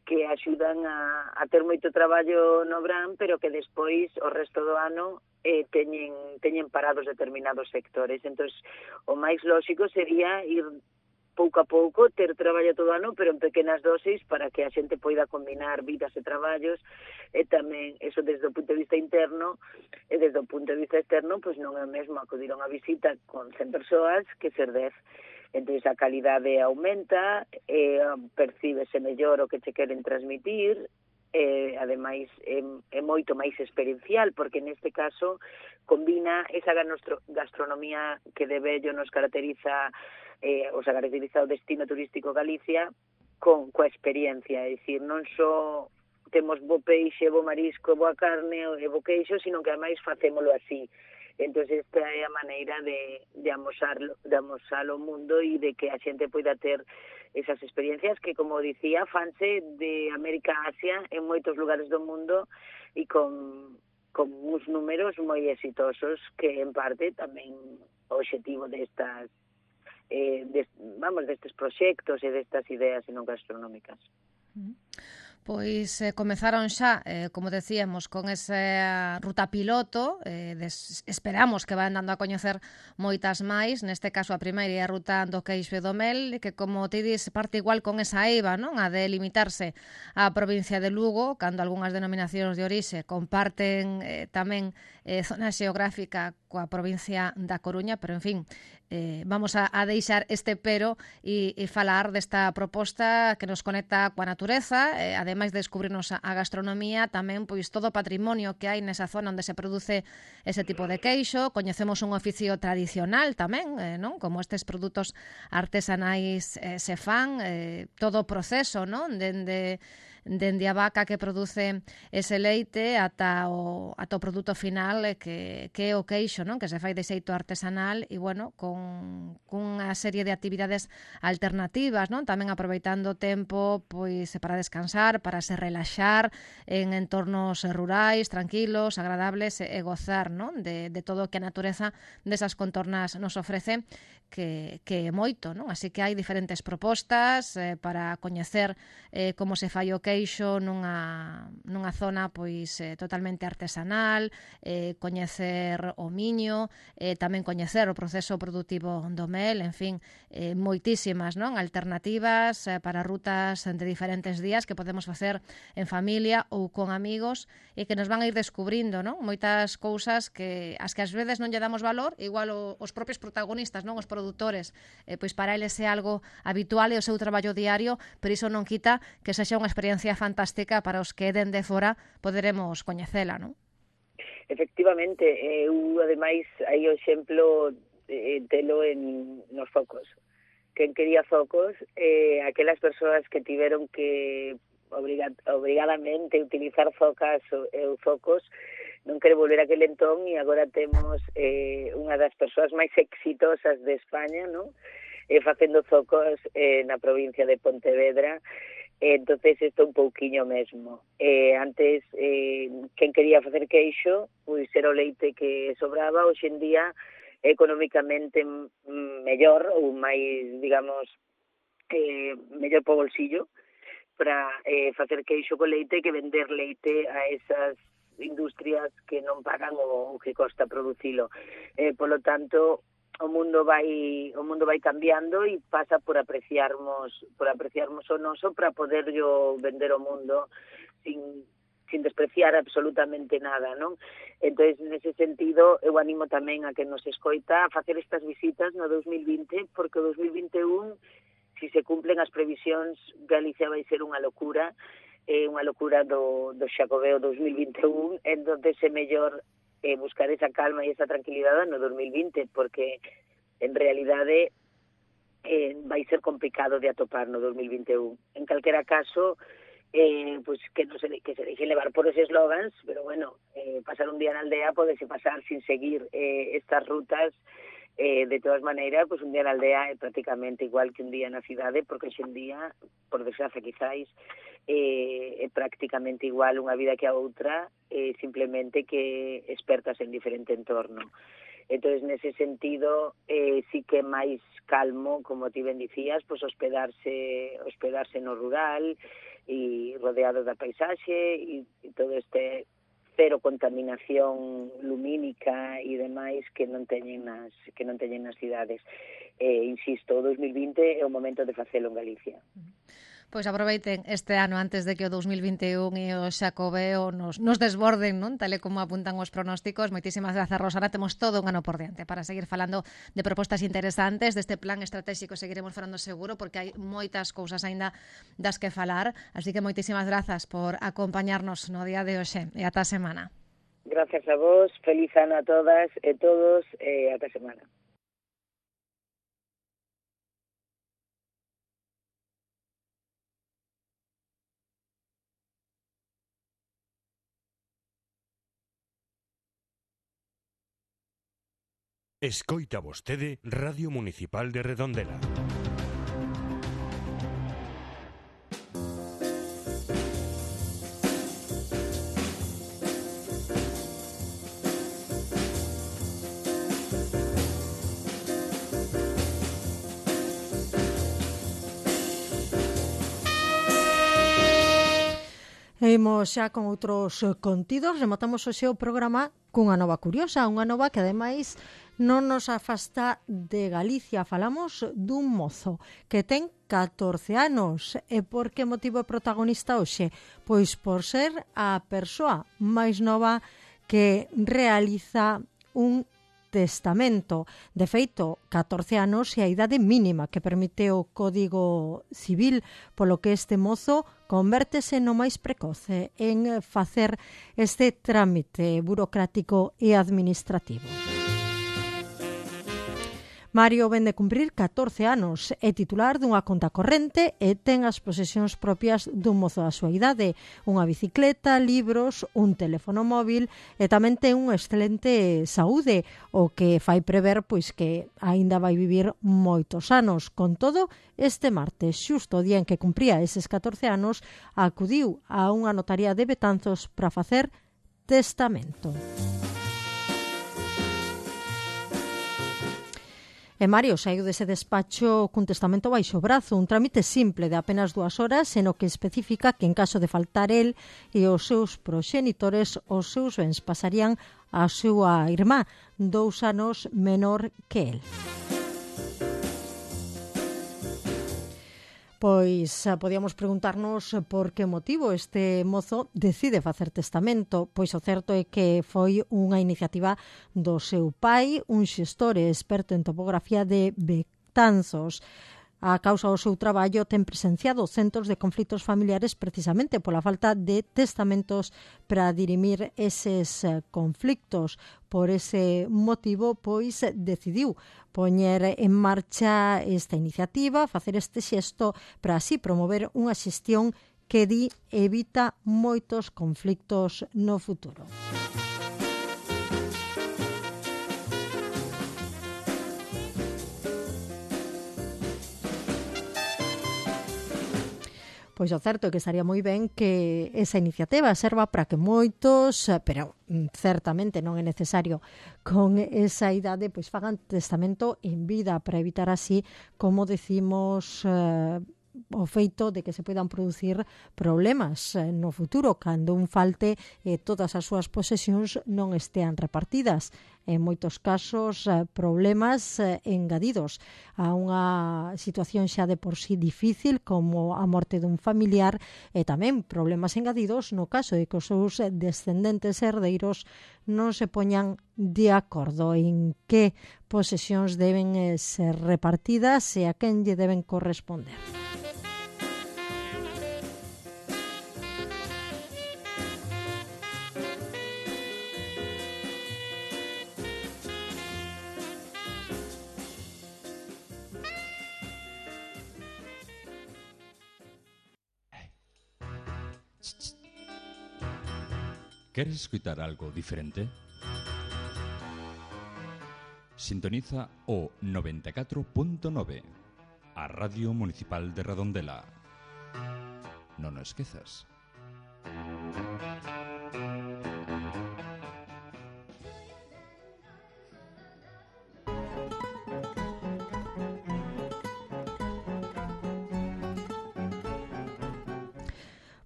que axudan a ter moito traballo no verán, pero que despois o resto do ano teñen parados determinados sectores. Entón, o máis lóxico sería ir pouco a pouco, ter traballo todo ano, pero en pequenas dosis para que a xente poida combinar vidas e traballos, e tamén, eso desde o punto de vista interno, e desde o punto de vista externo, pois non é o mesmo acudir a unha visita con 100 persoas que ser 10. Entón, a calidade aumenta, percíbese mellor o que che queren transmitir, ademais é moito máis experiencial, porque neste caso combina esa gastronomía que de vello nos caracteriza o destino turístico Galicia coa experiencia, é dicir, non só temos bo peixe, bo marisco, boa carne e bo queixo, sino que ademais facémolo así. Entón, esta é a maneira de amosar ao mundo e de que a xente poida ter esas experiencias que, como dicía, fanse de América a Asia en moitos lugares do mundo e con uns números moi exitosos que, en parte, tamén o obxectivo destes proxectos e destas ideas non gastronómicas. Pois comezaron xa, como decíamos, con esa ruta piloto, esperamos que van dando a coñecer moitas máis, neste caso a primeira é a ruta do queixo e do mel, que como te dis parte igual con esa eiva, non? A de limitarse á provincia de Lugo, cando algunhas denominacións de orixe comparten tamén zona xeográfica coa provincia da Coruña, pero en fin, vamos a deixar este pero e falar desta proposta que nos conecta coa natureza, ademais de descubrirnos a gastronomía, tamén pois todo o patrimonio que hai nesa zona onde se produce ese tipo de queixo. Coñecemos un oficio tradicional tamén, non? Como estes produtos artesanais se fan, todo o proceso, non? Dende a vaca que produce ese leite ata o produto final que é o queixo, non? Que se fai de xeito artesanal e, bueno, con unha serie de actividades alternativas, non? Tamén aproveitando o tempo pois para descansar, para se relaxar en entornos rurais, tranquilos, agradables e gozar, non? De todo o que a natureza desas contornas nos ofrece, que é moito, non? Así que hai diferentes propostas para coñecer como se fai o queixo queixo nunha zona pois totalmente artesanal, coñecer o miño, tamén coñecer o proceso productivo do mel, en fin, moitísimas, non, alternativas para rutas de diferentes días que podemos facer en familia ou con amigos e que nos van a ir descubrindo, non, moitas cousas que ás veces non lle damos valor, igual os propios protagonistas, non, os produtores, pois para eles é algo habitual e o seu traballo diario, pero iso non quita que sexa unha experiencia fantástica para os que dende fora poderemos coñecela, non? Efectivamente, eu ademais hai o exemplo telo nos focos. Quen quería focos, aquelas persoas que tiveron que obrigadamente utilizar focas ou focos, non quere volver a aquel entón e agora temos unha das persoas máis exitosas de España, non? Facendo focos na provincia de Pontevedra. Entonces isto un pouquiño mesmo. Antes, quen quería facer queixo, pois era o leite que sobraba, hoxe en día económicamente mellor ou máis, digamos, mellor po bolsillo para facer queixo co leite que vender leite a esas industrias que non pagan o que costa producilo. Polo tanto, o mundo vai cambiando e pasa por apreciarmos o noso para poderlo vender ao mundo sin despreciar absolutamente nada, non? Entonces, nese sentido, eu animo tamén a que nos escoita a facer estas visitas no 2020, porque o 2021, se se cumplen as previsións, Galicia vai ser unha locura do Xacobeo 2021, entonces é mellor buscar esa calma e esa tranquilidade no 2020, porque en realidade vai ser complicado de atopar no 2021. En calquera caso, pues que se deje levar por esos eslogans, pero bueno, pasar un día na aldea podese pasar sin seguir estas rutas. De todas maneiras, pues un día na aldea é prácticamente igual que un día na cidade, porque hoxe en día, por desgracia quizáis, é prácticamente igual unha vida que a outra, simplemente que expertas en diferente entorno. Entonces, nese sentido, sí que é máis calmo, como ti ben dicías, pues hospedarse no rural e rodeado da paisaxe e todo este cero contaminación lumínica e demais que non teñen nas cidades. Insisto, o 2020 é o momento de facelo en Galicia. Pois aproveiten este ano antes de que o 2021 e o Xacobeo nos desborden, non? Tal e como apuntan os pronósticos. Moitísimas grazas, Rosana. Temos todo un ano por diante para seguir falando de propostas interesantes, deste plan estratégico seguiremos falando seguro, porque hai moitas cousas aínda das que falar. Así que moitísimas grazas por acompañarnos no día de hoxe e ata a semana. Gracias a vos, feliz ano a todas e todos e ata a semana. Escoita vostede Radio Municipal de Redondela. Imos xa con outros contidos. Rematamos hoxe o programa cunha nova curiosa, unha nova que ademais non nos afasta de Galicia. Falamos dun mozo que ten 14 anos. E por que motivo é protagonista hoxe? Pois por ser a persoa máis nova que realiza un testamento. De feito, 14 anos é a idade mínima que permite o Código Civil, polo que este mozo convértese no máis precoce en facer este trámite burocrático e administrativo. Mario ven de cumprir 14 anos, é titular dunha conta corrente e ten as posesións propias dun mozo da súa idade, unha bicicleta, libros, un teléfono móvil e tamén ten unha excelente saúde, o que fai prever pois que aínda vai vivir moitos anos. Con todo, este martes, xusto o día en que cumpría eses 14 anos, acudiu a unha notaría de Betanzos para facer testamento. E Mario saiu dese despacho cun testamento baixo o brazo, un trámite simple de apenas 2 horas, en o que especifica que en caso de faltar el e os seus proxenitores, os seus bens pasarían á súa irmá, 2 anos menor que el. Pois podíamos preguntarnos por que motivo este mozo decide facer testamento. Pois o certo é que foi unha iniciativa do seu pai, un xestor e experto en topografía de Betanzos. A causa do seu traballo ten presenciado centos de conflitos familiares precisamente pola falta de testamentos para dirimir eses conflictos. Por ese motivo, pois, decidiu poñer en marcha esta iniciativa, facer este xesto para así promover unha xestión que di evita moitos conflictos no futuro. Pois o certo é que estaría moi ben que esa iniciativa serva para que moitos, pero certamente non é necesario con esa idade, pois fagan testamento en vida para evitar así, como decimos, o feito de que se poidan producir problemas no futuro cando un falte e todas as súas posesións non estean repartidas. En moitos casos, problemas engadidos a unha situación xa de por sí difícil como a morte dun familiar e tamén problemas engadidos no caso de que os seus descendentes herdeiros non se poñan de acordo en que posesións deben ser repartidas e a quen lle deben corresponder. ¿Quieres escuchar algo diferente? Sintoniza o 94.9, a Radio Municipal de Redondela. Non o esquezas.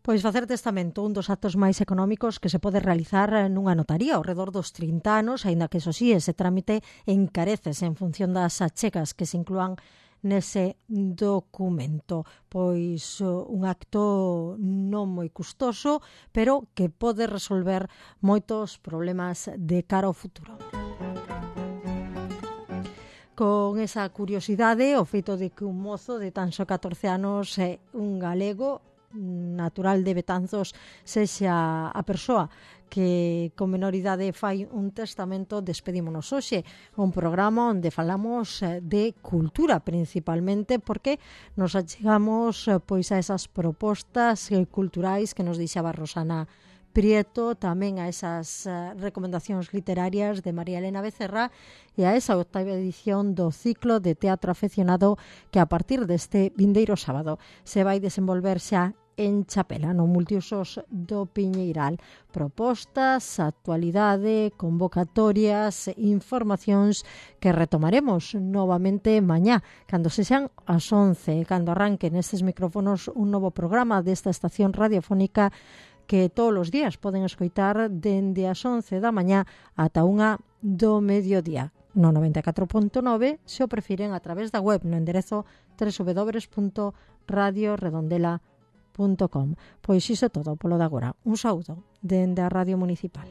Pois facer testamento, un dos actos máis económicos que se pode realizar nunha notaría ao redor dos 30 anos, aínda que, eso sí, ese trámite encareces en función das achegas que se inclúan nese documento. Pois un acto non moi custoso, pero que pode resolver moitos problemas de cara ao futuro. Con esa curiosidade, o feito de que un mozo de tan só 14 anos, un galego, natural de Betanzos, sexa a persoa que con menor idade fai un testamento, despedímonos hoxe, un programa onde falamos de cultura principalmente, porque nos achegamos pois a esas propostas culturais que nos deixaba Rosana Prieto, tamén a esas recomendacións literarias de María Elena Becerra e a esa 8ª edición do ciclo de teatro afeccionado que a partir deste vindeiro sábado se vai desenvolver xa en Chapela, no multiusos do Piñeiral. Propostas, actualidade, convocatorias, informacións que retomaremos novamente mañá, cando sexan as 11, cando arranquen estes micrófonos un novo programa desta estación radiofónica que todos os días poden escoitar dende as 11 da mañá ata 1 do mediodía. No 94.9, se o prefiren a través da web no enderezo www.radioredondela.com. Pois iso todo polo de agora. Un saúdo dende a Radio Municipal.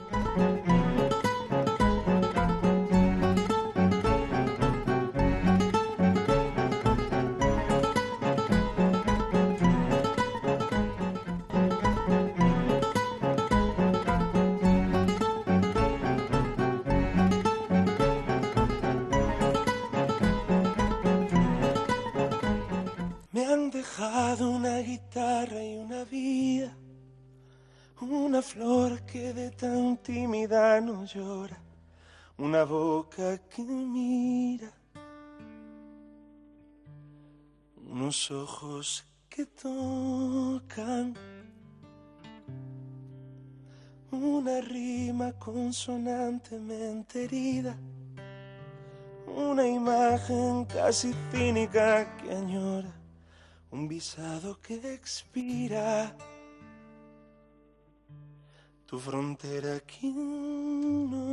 Una guitarra y una vida, una flor que de tan tímida no llora, una boca que mira, unos ojos que tocan, una rima consonantemente herida, una imagen casi cínica que añora un visado que expira. Tu frontera aquí